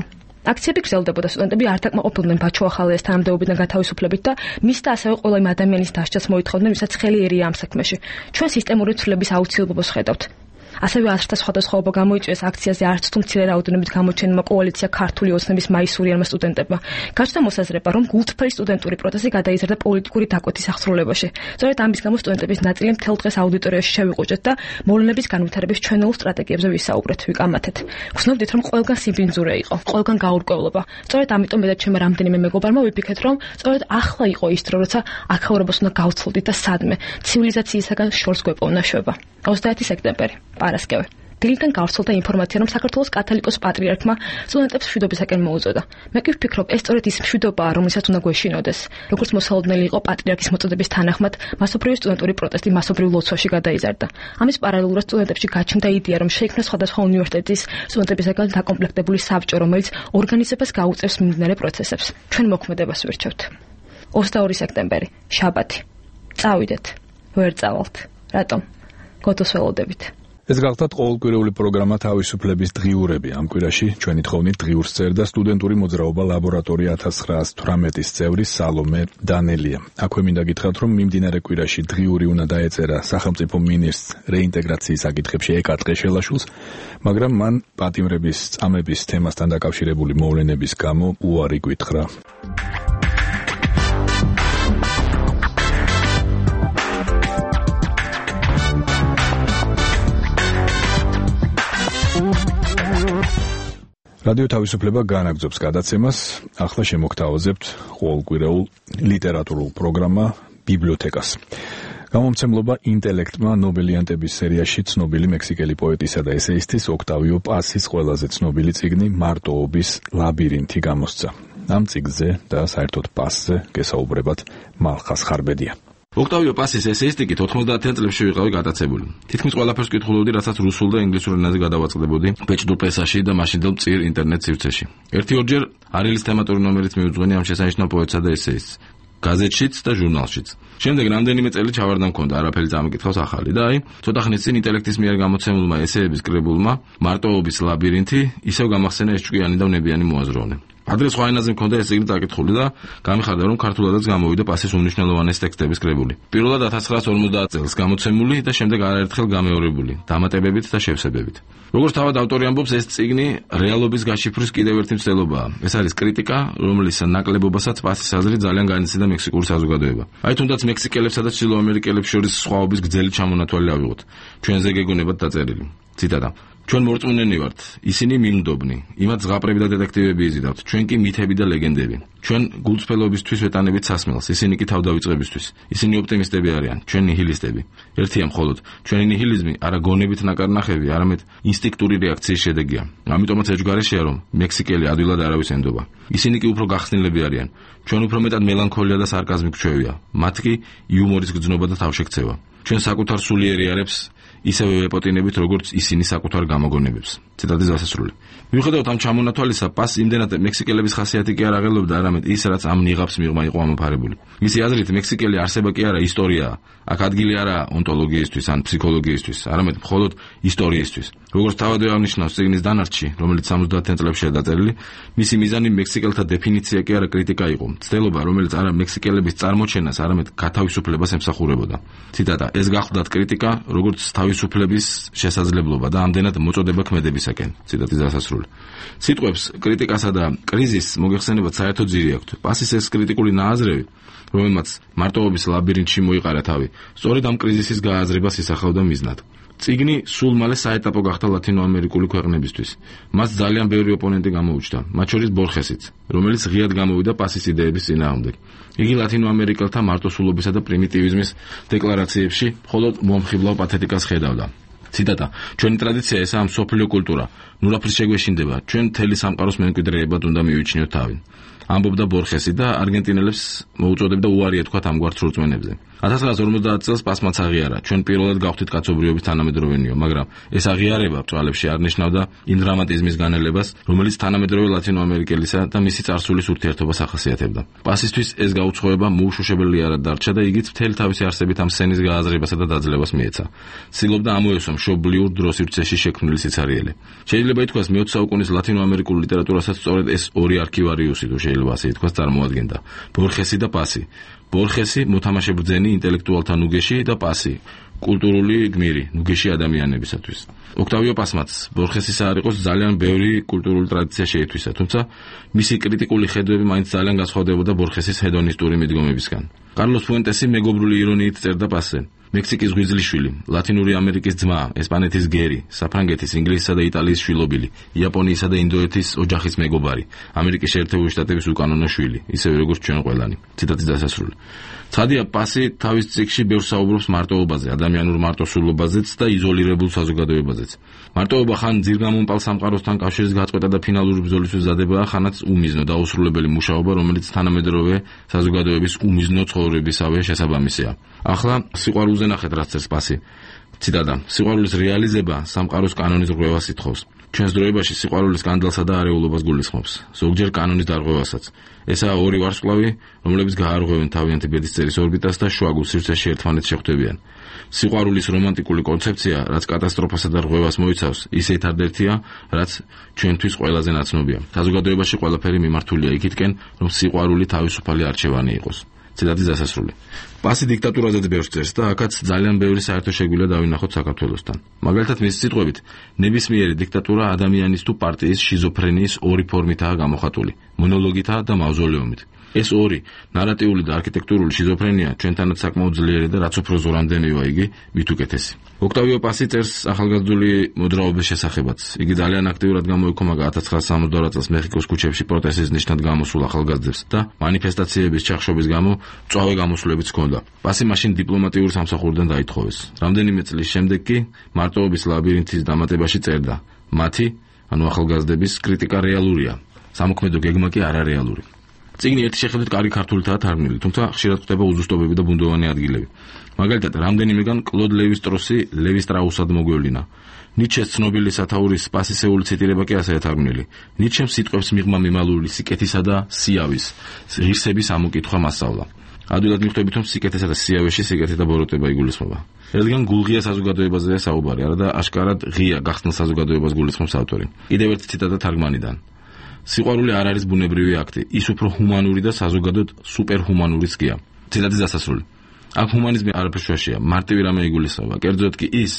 აქციები გრძელდებოდა, სტუდენტები არ დაკმაყოფილდნენ ბაჩუ ახალაიას თანამდებობიდან გათავისუფლებით და მის და ასევე ყველა იმ ადამიანის დასჯას მოითხოვდნენ, ვისაც ხელი ერია ამ საქმეში. ჩვენ სისტემური ცვლილების აუცილებლობას ხედავთ. ასევე ასრთა სხვადასხვაობა გამოიწვიეს აქციაზე არც თუ მცირე რაოდენობით გამოჩენილმა კოალიცია ქართული ოცნების მაისურიანმა სტუდენტებმა. გაჩნდა მოსაზრება, რომ გულწრფელი სტუდენტური პროტესტი გადაიზარდა პოლიტიკური დაკვეთის აღსრულებაში. სწორედ ამის გამო სტუდენტების ნაწილი მთელ დღეს აუდიტორიაში შევიყუჭეთ და მოვლენების განვითარების ჩვენეულ სტრატეგიებზე ვისაუბრეთ, ვიკამათეთ. გრძნობდით, რომ ყველგან სიბინძურე იყო, ყველგან გაურკვევლობა. სწორედ ამიტომ მე და ჩემმა რამდენიმე მეგობარმა ვიფიქრეთ, რომ სწორედ ახლა იყო ის დრო, როცა აქაურებას უნდა გავცლოდით და სადმე ცივილიზაციისაგან შორს გვეპოვნა შვება. 21 სექტემბერი პარასკევი. დილიდან გავრცელდა ინფორმაცია, რომ საქართველოს კათოლიკოს პატრიარქმა სტუდენტებს მშვიდობისაკენ მოუწოდა. მე კი ვფიქრობ, ეს სწორედ ის მშვიდობაა, რომელსაც უნდა გვეშინოდეს. როგორც მოსალოდნელი იყო პატრიარქის მოწოდების თანახმად, მასობრივი სტუდენტური პროტესტი მასობრივ ლოცვაში გადაიზარდა. ამის პარალელურად სტუდენტებში გაჩნდა იდეა, რომ შეიქმნა სხვადასხვა უნივერსიტეტის სტუდენტებისაგან დაკომპლექტებული საბჭო, რომელიც ორგანიზებას გაუწევს მიმდინარე პროცესებს. ჩვენ მოქმედებას ვირჩევთ. 22 სექტემბერი, შაბათი. წავიდეთ. ვერ წავალთ. რატომ? გოდოს ველოდებით. ეს გახლდათ ყოველკვირეული პროგრამა თავისუფლების დღიურები. ამ კვირაში ჩვენი თხოვნით დღიურს წერდა სტუდენტური მოძრაობა ლაბორატორია 1918-ის წევრი სალომე დანელია. აქვე მინდა გითხრათ, რომ მიმდინარე კვირაში დღიური უნდა დაეწერა სახელმწიფო მინისტრს რეინტეგრაციის საკითხებში ეკატყე შელაშვილს, მაგრამ მან პატიმრების წამების თემასთან დაკავშირებული მოვლენების გამო უარი გვითხრა. რადიო თავისუფლება განაგრძობს გადაცემას. ახლა შემოგთავაზებთ ყოველკვირეულ ლიტერატურულ პროგრამა ბიბლიოთეკას. გამომცემლობა ინტელექტმა ნობელიანტების სერიაში ცნობილი მექსიკელი პოეტისა და ესეისტის ოქტავიო პასის ყველაზე ცნობილი წიგნი მარტოობის ლაბირინთი გამოსცა. ამ წიგნზე და საერთოდ პასზე გესაუბრებათ მალხას ხარბედია. ოქტავიო პასის ესეისტიკით 90-იან წლებში ვიყავი გადაცებული. თითქმის ყველაფერს კითხულობდი, რასაც რუსულ და ინგლისურ ენაზე გადავაწყდებოდი ბეჭდურ პრესაში და მაშინდელ მწირ ინტერნეტ სივრცეში. ერთი-ორჯერ არილის თემატური ნომერიც მივუძღვენი ამ შესანიშნავ პოეტსა და ესეისტს, გაზეთშიც და ჟურნალშიც. შემდეგ რამდენიმე წელი ჩავარდა მქონდა, არაფერი წამიკითხავს ახალი და აი, ცოტა ხნის წინ ინტელექტის მიერ გამოცემულმა ესეების კრებულმა მარტოობის ლაბირინთი ისევ გამახსენა ეს ჭკვიანი და ვნებიანი მოაზროვნე. ადრე სხვა ენაზე მქონდა ეს წიგნი წაკითხული და გამიხარდა რომ ქართულადაც გამოვიდა პასის უმნიშვნელოვანესი ტექსტების კრებული. პირველად 1950 წელს გამოცემული და შემდეგ არაერთხელ გამეორებული, დამატებებით და შევსებებით. როგორც თავად ავტორი ამბობს, ეს წიგნი რეალობის გაშიფვრის კიდევ ერთი მცდელობაა. ეს არის კრიტიკა, რომლის ნაკლებობასაც პასის აზრით ძალიან განიცდიდა მექსიკური საზოგადოება. აი თუნდაც მექსიკელებსა და ჩრდილოამერიკელებს შორის სხვაობის გრძელი ჩამონათვალი ავიღოთ. ჩვენზე გეგონებათ დაწერილი. ციტატა: ჩვენ მორწმუნენი ვართ, ისინი მინდობნი, იმათ ზღაპრები და დეტექტივები იზიდავთ, ჩვენ კი მითები და ლეგენდები. ჩვენ გულწრფელობისთვის ვეტანებით სასმელს, ისინი კი თავდავიწყებისთვის. ისინი ოპტიმისტები არიან, ჩვენ ნიჰილისტები. ერთია მხოლოდ, ჩვენი ნიჰილიზმი არა გონებით ნაკარნახები, არამედ ინსტინქტური რეაქციის შედეგია. ამიტომაც ეჯგარეშეა, რომ მექსიკელი ადვილად არავის ენდობა. ისინი კი უფრო გახსნილები არიან. ჩვენ უფრო მეტად მელანქოლია და სარკაზმი გვჩვევია. მათ კი იუმორის გრძნობა და თავშექცევა. ჩვენ საკუთარ სულიერი არებს ისევე ვეპოტინებით, როგორც ისინი საკუთარ გამოგონებებს. ციტატის დასასრული. მიუხედავად ამ ჩამონათვალისა, პას იმდენად მექსიკელების ხასიათი კი არ აღელვებდა, არამედ ის, რაც ამ ნიღაბს მიღმა იყო ამოფარებული. მისი აზრით, მექსიკელი არსება კი არა ისტორიაა. აქ ადგილი არა ონტოლოგიისთვის ან ფსიქოლოგიისთვის, არამედ მხოლოდ ისტორიისთვის. როგორც თავადვე აღნიშნავს წიგნის დანარჩი, რომელიც 70-იან წლებშია დაწერილი, მისი მიზანი მექსიკელთა დეფინიცია კი არა კრიტიკა იყო, ცდელობა, რომელიც არა მექსიკელების წარმოჩენას, არამედ გათავისუფლებას ემსახურებოდა. ციტატა: ეს გახლდათ კრიტიკა, როგორც თავისუფლების შესაძლებლობა და ამდენად მოწოდება ქმედებისაკენ. ციტატის დასასრული. სიტყვებს კრიტიკასა და კრიზისს მოგეხსენებათ საერთო ძირი აქვთ. პასის ეს კრიტიკული ნააზრევი, რომელმაც მარტოობის ლაბირინთში მოიყარა თავი, სწორედ ამ კრიზისის გააზრებას ისახავდა მიზნად. წიგნი სულ მალე საეტაპო გახდა ლათინოამერიკული ქვეყნებისთვის. მას ძალიან ბევრი ოპონენტი გამოუჩნდა, მათ შორის ბორხესიც, რომელიც ღიად გამოვიდა პასის იდეების წინააღმდეგ. იგი ლათინოამერიკელთა მარტოსულობისა და პრიმიტივიზმის დეკლარაციებში მხოლოდ მომხიბლავ პათეტიკას ხედავდა. ციტატა: ჩვენი ტრადიცია ესაა მსოფლიო კულტურა. ნურაფრის შეგვეშინდება, ჩვენ მთელი სამყაროს მემკვიდრეებად უნდა მივიჩნიოთ თავი. ამბობდა ბორხესი და არგენტინელებს მოუწოდებდა უარი ეთქვათ ამგვარ ცრურწმენებზე. 1950 წელს პასმაც აღიარა, ჩვენ პირველად გავხდით კაცობრიობის თანამედროვენიო, მაგრამ ეს აღიარება ბრძოლებში არ ნიშნავდა იმ დრამატიზმის განელებას, რომელიც თანამედროვე ლათინოამერიკელისა და მისი წარსულის ურთიერთობას ახასიათებდა. პასისთვის ეს გაუცხოება მოუშოშებელი არ დარჩა და იგიც მთელი თავისი არსებით ამ სცენის გააზრებასა და დაძლებას მიეცა. ცდილობდა ამოესვა მშობლიურ დროს სივრცეში შექმნილი სიცარიელე. შეიძლება ითქვას, მე-20 საუკუნის ლათინოამერიკულ ლიტერატურასაც სწორედ ეს ორი არქივარიუსი, თუ შეიძლება ასე ითქვას, წარმოადგენდა: ბორხესი და პასი. ბორხესი მოთამაშე ბრძენი ინტელექტუალთა ნუგეში და პასი კულტურული გმირი ნუგეში ადამიანებისათვის. ოქტავიო პასმაც ბორხესისა არ იყოს ძალიან ბევრი კულტურული ტრადიცია შეითვისა, თუმცა მისი კრიტიკული ხედვები მაინც ძალიან განსხვავდებოდა ბორხესის ჰედონისტური მიდგომებისგან. კარლოს ფუენტესი მეგობრული ირონიით წერდა პასზე: მექსიკის ღვიძლიშვილი, ლათინური ამერიკის ძმა, ესპანეთის გერი, საფრანგეთის, ინგლისისა და იტალიის შვილობილი, იაპონიისა და ინდოეთის ოჯახის მეგობარი, ამერიკის შეერთებული შტატების უკანონო შვილი, ისევე როგორც ჩვენ ყველანი. ციტატის დასასრული. ცხადია, პასი თავის წიგნში ბევრს საუბრობს მარტოობაზე, ადამიანურ მარტოსულობაზეც და იზოლირებულ საზოგადოებაზეც. მარტოობა ხან ძირგამომპალ სამყაროსთან კავშირის გაწყვეტა და ფინალური ბრძოლის მზადებაა, ხანაც უმიზნო დაუსრულებელი მუშაობა, რომელიც თანამედროვე საზოგადოების უმიზნო ცხოვრებისავე შესაბამისია. ახლა სიყვარულზე ნახეთ, რაც წერს პასი. ციტატა: სიყვარულის რეალიზება სამყაროს კანონის რღვევას ითხოვს. ჩვენს დროებაში სიყვარული სკანდალსა და არეულობას გულისხმობს, ზოგჯერ კანონის დარღვევასაც. ესაა ორი ვარსკვლავი, რომლებიც გაარღვევენ თავიანთი ბედისწერის ორბიტას და შუაგულ სივრცეში ერთმანეთს შეხვდებიან. სიყვარულის რომანტიკული კონცეფცია, რაც კატასტროფასა და რღვევას მოიცავს, ისეთ ერთ-ერთია, რაც ჩვენთვის ყველაზე ნაცნობია. საზოგადოებაში ყველაფერი მიმართულია იქითკენ, რომ სიყვარული თავისუფალი არჩევანი იყოს. ციტატის დასასრული. პასი დიქტატურაზეც ბევრს წერს და აქაც ძალიან ბევრი საერთო შეგვიძლია დავინახოთ საქართველოსთან. მაგალითად, მის სიტყვებით, ნებისმიერი დიქტატურა ადამიანის თუ პარტიის შიზოფრენიის ორი ფორმითაა გამოხატული: მონოლოგითა და მავზოლეუმით. ეს ორი, ნარატიული და არქიტექტურული შიზოფრენია ჩვენთანაც საკმაოდ ძლიერი და რაც უფრო ზორამდე მივა იგი, მით უკეთესი. ოქტავიო პასი წერს ახალგაზრდული მოძრაობის შესახებაც. იგი ძალიან აქტიურად გამოიქომაგა 1972 წელს მეხიკოს ქუჩებში პროტესტის ნიშნად გამოსულ ახალგაზრდებს და მანიფესტაციების ჩახშობის გამო მწვავე გამოსვლებიც ჰქონდა. პასი მაშინ დიპლომატიურ სამსახურიდან დაითხოვეს. რამდენიმე წლის შემდეგ კი მარტოობის ლაბირინთის დამატებაში წერდა: მათი, ანუ ახალგაზრდების კრიტიკა რეალურია, სამოქმედო გეგმა კი არარეალური. წიგნი ერთი შეხედვით კარგი ქართულითაა თარგმნილი, თუმცა ხშირად ხდება უზუსტობები და ბუნდოვანი ადგილები. მაგალითად, რამდენიმეგან კლოდ ლევი-სტროსი ლევი სტრაუსად მოგვევლინა. ნიჩეს ცნობილი სათაურის პასისეული ციტირება კი ასეა თარგმნილი: ნიჩემ სიტყვებს მიღმა მიმალული სიკეთისა და სიავის, ღირსების ამოკითხვა მასწავლა. ადვილად მიხვდებით, რომ სიკეთესა და სიავეში სიკეთე და ბოროტება იგულისხმება. რადგან გულღია საზოგადოებაზეა საუბარი, არა და აშკარად ღია გახსნილ საზოგადოებას გულისხმობს ავტორი. კიდევ ერთი ციტატა თარგმანიდან: სიყვარული არ არის ბუნებრივი აქტი, ის უფრო ჰუმანური და საზოგადოდ სუპერჰუმანურიც გია. ციტატის დასასრული. აქ ჰუმანიზმი არაფერ შუაშია, მარტივი რამე იგულისხმება. კერძოდ კი ის,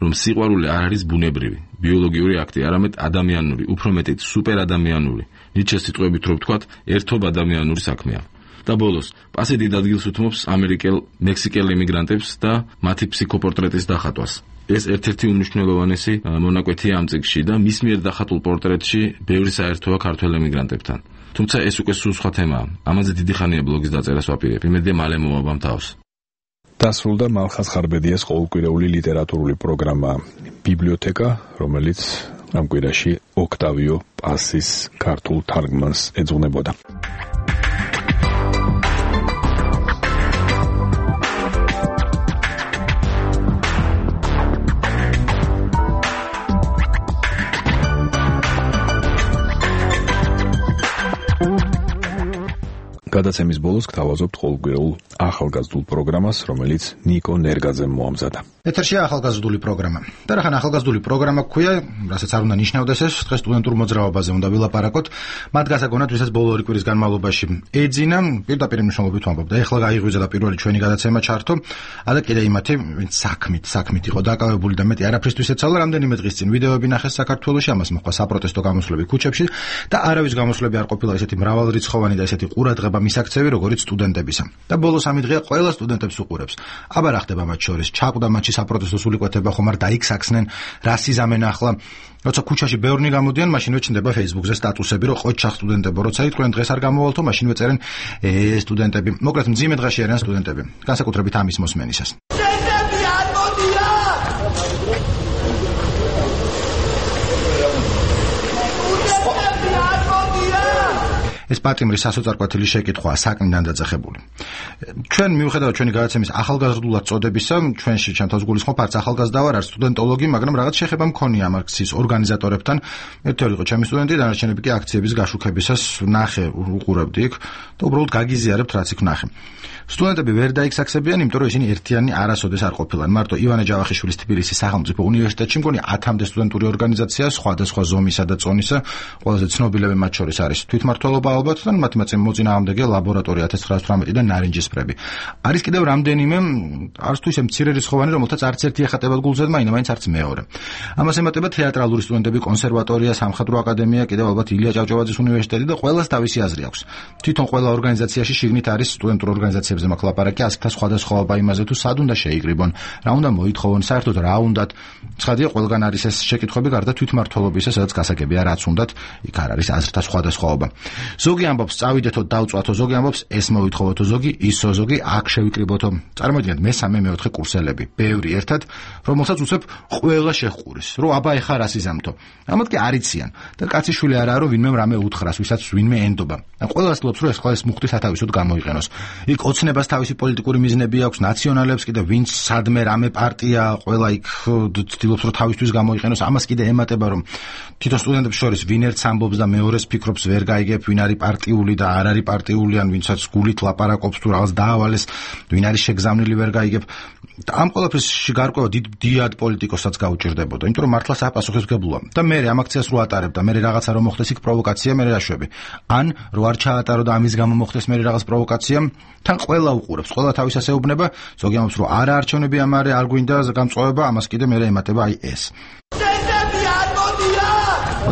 რომ სიყვარული არ არის ბუნებრივი, ბიოლოგიური აქტი, არამედ ადამიანური, უფრო მეტიც სუპერადამიანური. ნიჩეს სიტყვებით რო ვთქვათ, ერთობ ადამიანური საქმეა. და ბოლოს, პასე დიდ ადგილს უთმობს ამერიკელ, მექსიკელ იმიგრანტებს და მათი ფსიქოპორტრეტის დახატვას. ეს ერთ-ერთი უმნიშვნელოვანესი მონაკვეთია ამ წიგნში და მის მიერ დახატულ პორტრეტში ბევრი საერთოა ქართველ ემიგრანტებთან. თუმცა ეს უკვე სულ სხვა თემაა. ამაზე დიდი ხანია ბლოგის დაწერას ვაპირებ. იმედია მალე მოვაბამ თავს. დასრულდა მალხაზ ხარბედიას ყოველკვირეული ლიტერატურული პროგრამა ბიბლიოთეკა, რომელიც ამ კვირაში ოქტავიო პასის ქართულ თარგმანს ეძღვნებოდა. გადაცემის ბოლოს გთავაზობთ ყოველკვირეულ ახალგაზრდულ პროგრამას, რომელიც ნიკო ნერგაძემ მოამზადა. ეთერშია ახალგაზრდული პროგრამა. და რახან ახალგაზრდული პროგრამა გქვია, რასაც არ უნდა ნიშნავდეს ეს, დღეს სტუდენტურ მოძრაობაზე უნდა ვილაპარაკოთ. მათ გასაგონად, ვისაც ბოლო ორი კვირის განმავლობაში ეძინა, პირდაპირ მნიშვნელობით ვამბობ და ეხლა გაიღვიძა და პირველი ჩვენი გადაცემა ჩართო. და კიდე იმათი, ვინც საქმით იყო დაკავებული და მეტი არაფრისთვის ეცალა, რამდენიმე დღის წინ ვიდეოები ნახეს საქართველოში, ამას მოხდა საპროტესტო გამოსვლები ქუჩებში და არავის გამოსვლები არ ყოფილა ესეთი მრავალრიცხოვანი და ესეთი ყურადღება მისაქცევი, როგორც სტუდენტებისა. და ბოლოს ამი დღეა ყველა სტუდენტებს უყურებს. აბა რა ხდება მათ შორის? ჩაკვდა მათში საპროტესტო სულიკვეთება, ხომ არ დაიქსაქსნენ, რა სიზამენ ახლა? როცა ქუჩაში ბევრნი გამოდიან, მაშინვე ჩნდება Facebook-ზე სტატუსები, რომ ყოჩახ სტუდენტებო, როცა იტყვიან დღეს არ გამოვალთო, მაშინვე წერენ სტუდენტები. მოკლედ მძიმე დღეში არიან სტუდენტები, განსაკუთრებით ამის მოსმენისას. ეს პატიმრის სასოწარკვეთილი შეკითხვაა საკნიდან დაძახებული. ჩვენ მიუხედავად ჩვენი გადაცემის ახალგაზრდულად წოდებისა, ჩვენში ჩემთვის გულისხმობ არც ახალგაზრდა ვარ, არც სტუდენტოლოგი, მაგრამ რაღაც შეხება მქონია ამ აქციის ორგანიზატორებთან. ერთი ორი იყო ჩემი სტუდენტი, დანარჩენები კი აქციების გაშუქებისას ნახე უყურებდი იქ და უბრალოდ გაგიზიარებთ რაც იქ ნახე. სტუდენტები ვერ დაიქსაქსებიან, იმიტომ რომ ისინი ერთიანი არასოდეს არ ყოფილან. მარტო ივანე ჯავახიშვილის თბილისის სახელმწიფო უნივერსიტეტში მგონი 10-მდე სტუდენტური ორგანიზაცია სხვადასხვა ზომისა და წონისა, ყველაზე ცნობილები მათ შორის არის თვითმმართველობა ალბათ და მათი მოწინააღმდეგე ლაბორატორია 1918 და ნარინჯისფრები. არის კიდევ რამდენიმე, არც თუ ისე მცირე რიცხოვანი, რომელთაც არც ერთი ეხატებათ გულზე, მაინც არც მეორე. ამას ემატება თეატრალური სტუდენტები, კონსერვატორია, სამხატვრო აკადემია, კიდევ ალბათ ილია ჭავჭავაძის უნივერსიტეტი და ყველას თავისი აზრი აქვს. თვითონ ყველა ორგანიზაციაში შიგნით არის სტუდენტურ ორგანიზაციებზე მაქვს ლაპარაკი, ასკთა სხვადასხვაობა იმაზე თუ სად უნდა შეიკრიბონ, რა უნდა მოითხოვონ, საერთოდ რა უნდათ. ცხადია, ყველგან არის ეს შეკითხვები, გარდა თვითმმართველობისა, სადაც გასაგებია რაც უნდათ, იქ არ არის აზრთა სხვადასხვაობა. ზოგი ამბობს წავიდეთო დავწვათო, ზოგი ამბობს ეს მოითხოვოთო, ზოგი ისო, ზოგი აქ შევიკრიბოთო. წარმოიდგინეთ მესამე მეოთხე კურსელები, ბევრი ერთად, რომელსაც უცებ ყველა შეჰყურის, რომ აბა ეხა რა სიზამთო. ამათ კი არიციან და კაციშვილი არაა, რომ ვინმე რამე უთხრას, ვისაც ვინმე ენდობა. ყველას ლობს, რომ ეს ხლა ეს მუხტი სათავისოდ გამოიყენოს. იქ ოცნებას თავისი პოლიტიკური მიზნები აქვს, ნაციონალებს კიდე ვინც სადმე რამე პარტია, ყველა იქ ცდილობს, რომ თავისთვის გამოიყენოს. ამას კიდე ემატება, რომ თვითონ სტუდენტებს შორის ვინ ერთს ამბობს და მეორეს ფიქრობს ვერ გაიგებ, ვინ არის პარტიული და არ არის პარტიული, ან ვინცაც გულით ლაპარაკობს თუ რაღაც დაავალეს, ვინ არის შეგზავნილი ვერ გაიგებ. ამ ყველაფრის გარკვევა დიდ პოლიტიკოსაც გაუჭირდებოდა, იმიტომ რომ მართლა საპასუხისმგებლოა. და მე ამ აქციას რო ატარებ და მე რაღაცა რომ მოხდეს იქ პროვოკაცია, მე რაშვები. ან რო არ ჩაატარო და ამის გამო მოხდეს მე რაღაც პროვოკაცია, თან ყველა უყურებს, ყველა თავის ასე უბნება, ზოგი ამბობს რომ არა არჩევნები ამარე არ გვინდა გამწვევა, ამას კიდე მე ემატება აი ეს.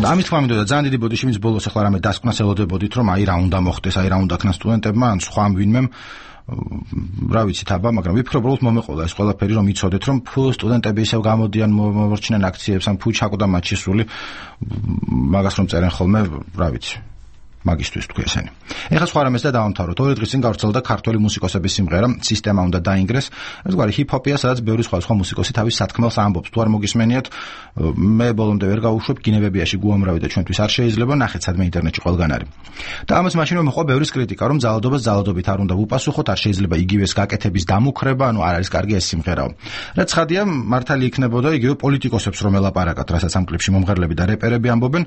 და ამით თქვა მინდოდა ძალიან დიდი ბოდიში, ვინც ბოლოს ახლა რამე დასკვნას ელოდებოდით, რომ აი რა უნდა მოხდეს, აი რა უნდა ქნას სტუდენტებმა, ან სხვა ვინმემ, რა ვიცით აბა, მაგრამ ვიფიქრობ, რომ მომეყოლა ეს ყველაფერი, რომ იცოდეთ, რომ ფუ სტუდენტები ისევ გამოდიან, მოვორჩნენ აქციებს, ან ფუ ჩაკვდა მათში სული, მაგას რომ წერენ ხოლმე, რა ვიცი. მაგისტვის თქვი ესენი. ეხლა სხვა რამეს და დავამთავროთ. ორი დღის წინ გავრცელდა ქართველი მუსიკოსების სიმღერა, სისტემა უნდა დაინგრეს. ეს გვარი ჰიპ-ჰოპია, სადაც ბევრი სხვა მუსიკოსი თავის სათქმელს ამბობს. თუ არ მოგისმენიათ, მე ბოლომდე ვერ გავუშვებ, კინებებიაში გუამრავი და ჩვენთვის არ შეიძლება, ნახეთ სადმე ინტერნეტში ყველგან არის. და ამას მაშინვე მოყვა ბევრის კრიტიკა, რომ ძალადობას ძალადობით არ უნდა ვუპასუხოთ, არ შეიძლება იგივეს გაკეთების დამუქრება, ანუ არ არის კარგი ეს სიმღერაო. რაც ცხადია, მართალი იქნებოდა იგივე პოლიტიკოსებს რომ ელაპარაკათ, რასაც ამ კლიპში მომღერლები და რეპერები ამბობენ.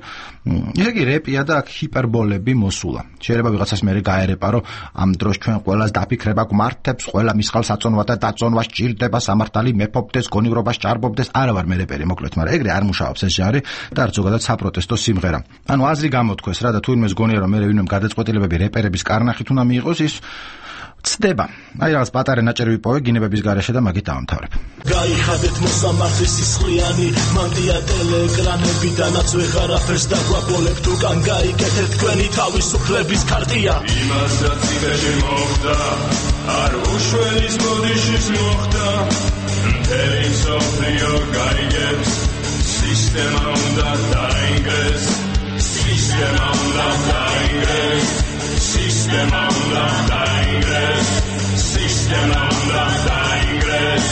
ესე იგი რეპია და აქ ჰიპერბოლები დღეები მოსულა. შეიძლება ვიღაცას მე გაერეპა, რომ ამ დროს ჩვენ ყველას დაფიქრება გვმართებს, ყველა მისხალს აწონვა და დაწონვა სჭირდება, სამართალი მეფობდეს, გონივრობა სჭარბობდეს. არა ვარ მე რეპერი, მოკლედ, მაგრამ ეგრე არ მუშაობს ეს ჟანრი და არც ზოგადად საპროტესტო სიმღერა. ანუ აზრი გამოთქვეს რა და თუ იმეს გონია რომ მე ვინმე გადაწყვეტილებები რეპერების კარნახით უნდა მიიღოს ის ცდება. აი რაღაც პატარა ნაჭერი ვიპოვე გინებების გარეშე და მაგით დავამთავრებ. გაიხადეთ მოსამართლის სისხლიანი მანდია ტელეკრანებიდანაც ვეღარაფერს დაგვაბოლებ თუ კან გაიგეთეთ თქვენი თავისუფლების ქარტია იმასაც იმეში მოხდა არ უშველის ბოდიშის მოხდა მთელი მსოფლიო გაიგებს სისტემა უნდა დაინგრეს სისტემა უნდა დაინგრეს სისტემა უნდა დაინგრეს სისტემა უნდა დაინგრეს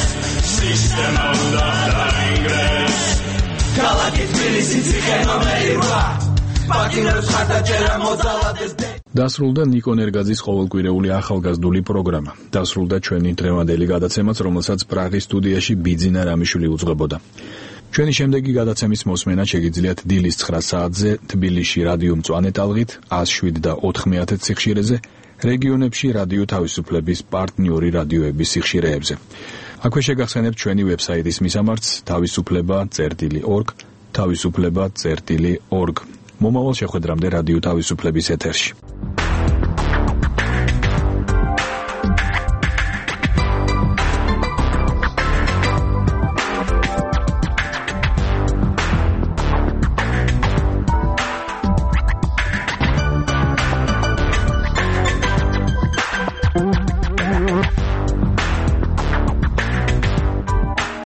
სისტემა უნდა დაინგრეს ქალაქი თბილისი ციხე ნომერი 8 პაკინებს ხარდაჭერა მოძალადეს დასრულდა ნიკო ნერგაძის ყოველკვირეული ახალგაზრდული პროგრამა. დასრულდა ჩვენი დღევანდელი გადაცემაც, რომელსაც პრაღის სტუდიაში ბიძინა რამიშვილი უძღვებოდა. ჩვენი შემდეგი გადაცემის მოსმენა შეგიძლიათ დილის 9 საათზე თბილისში რადიო მწვანე ტალღით 107.9 სიხშირეზე, რეგიონებში რადიო თავისუფლების პარტნიორი რადიოების სიხშირეებზე. აქვე შეგახსენებთ ჩვენი ვებსაიტის მისამართს თავისუფლება.org, თავისუფლება.org. მომავალ შეხვედრამდე რადიო თავისუფლების ეთერში.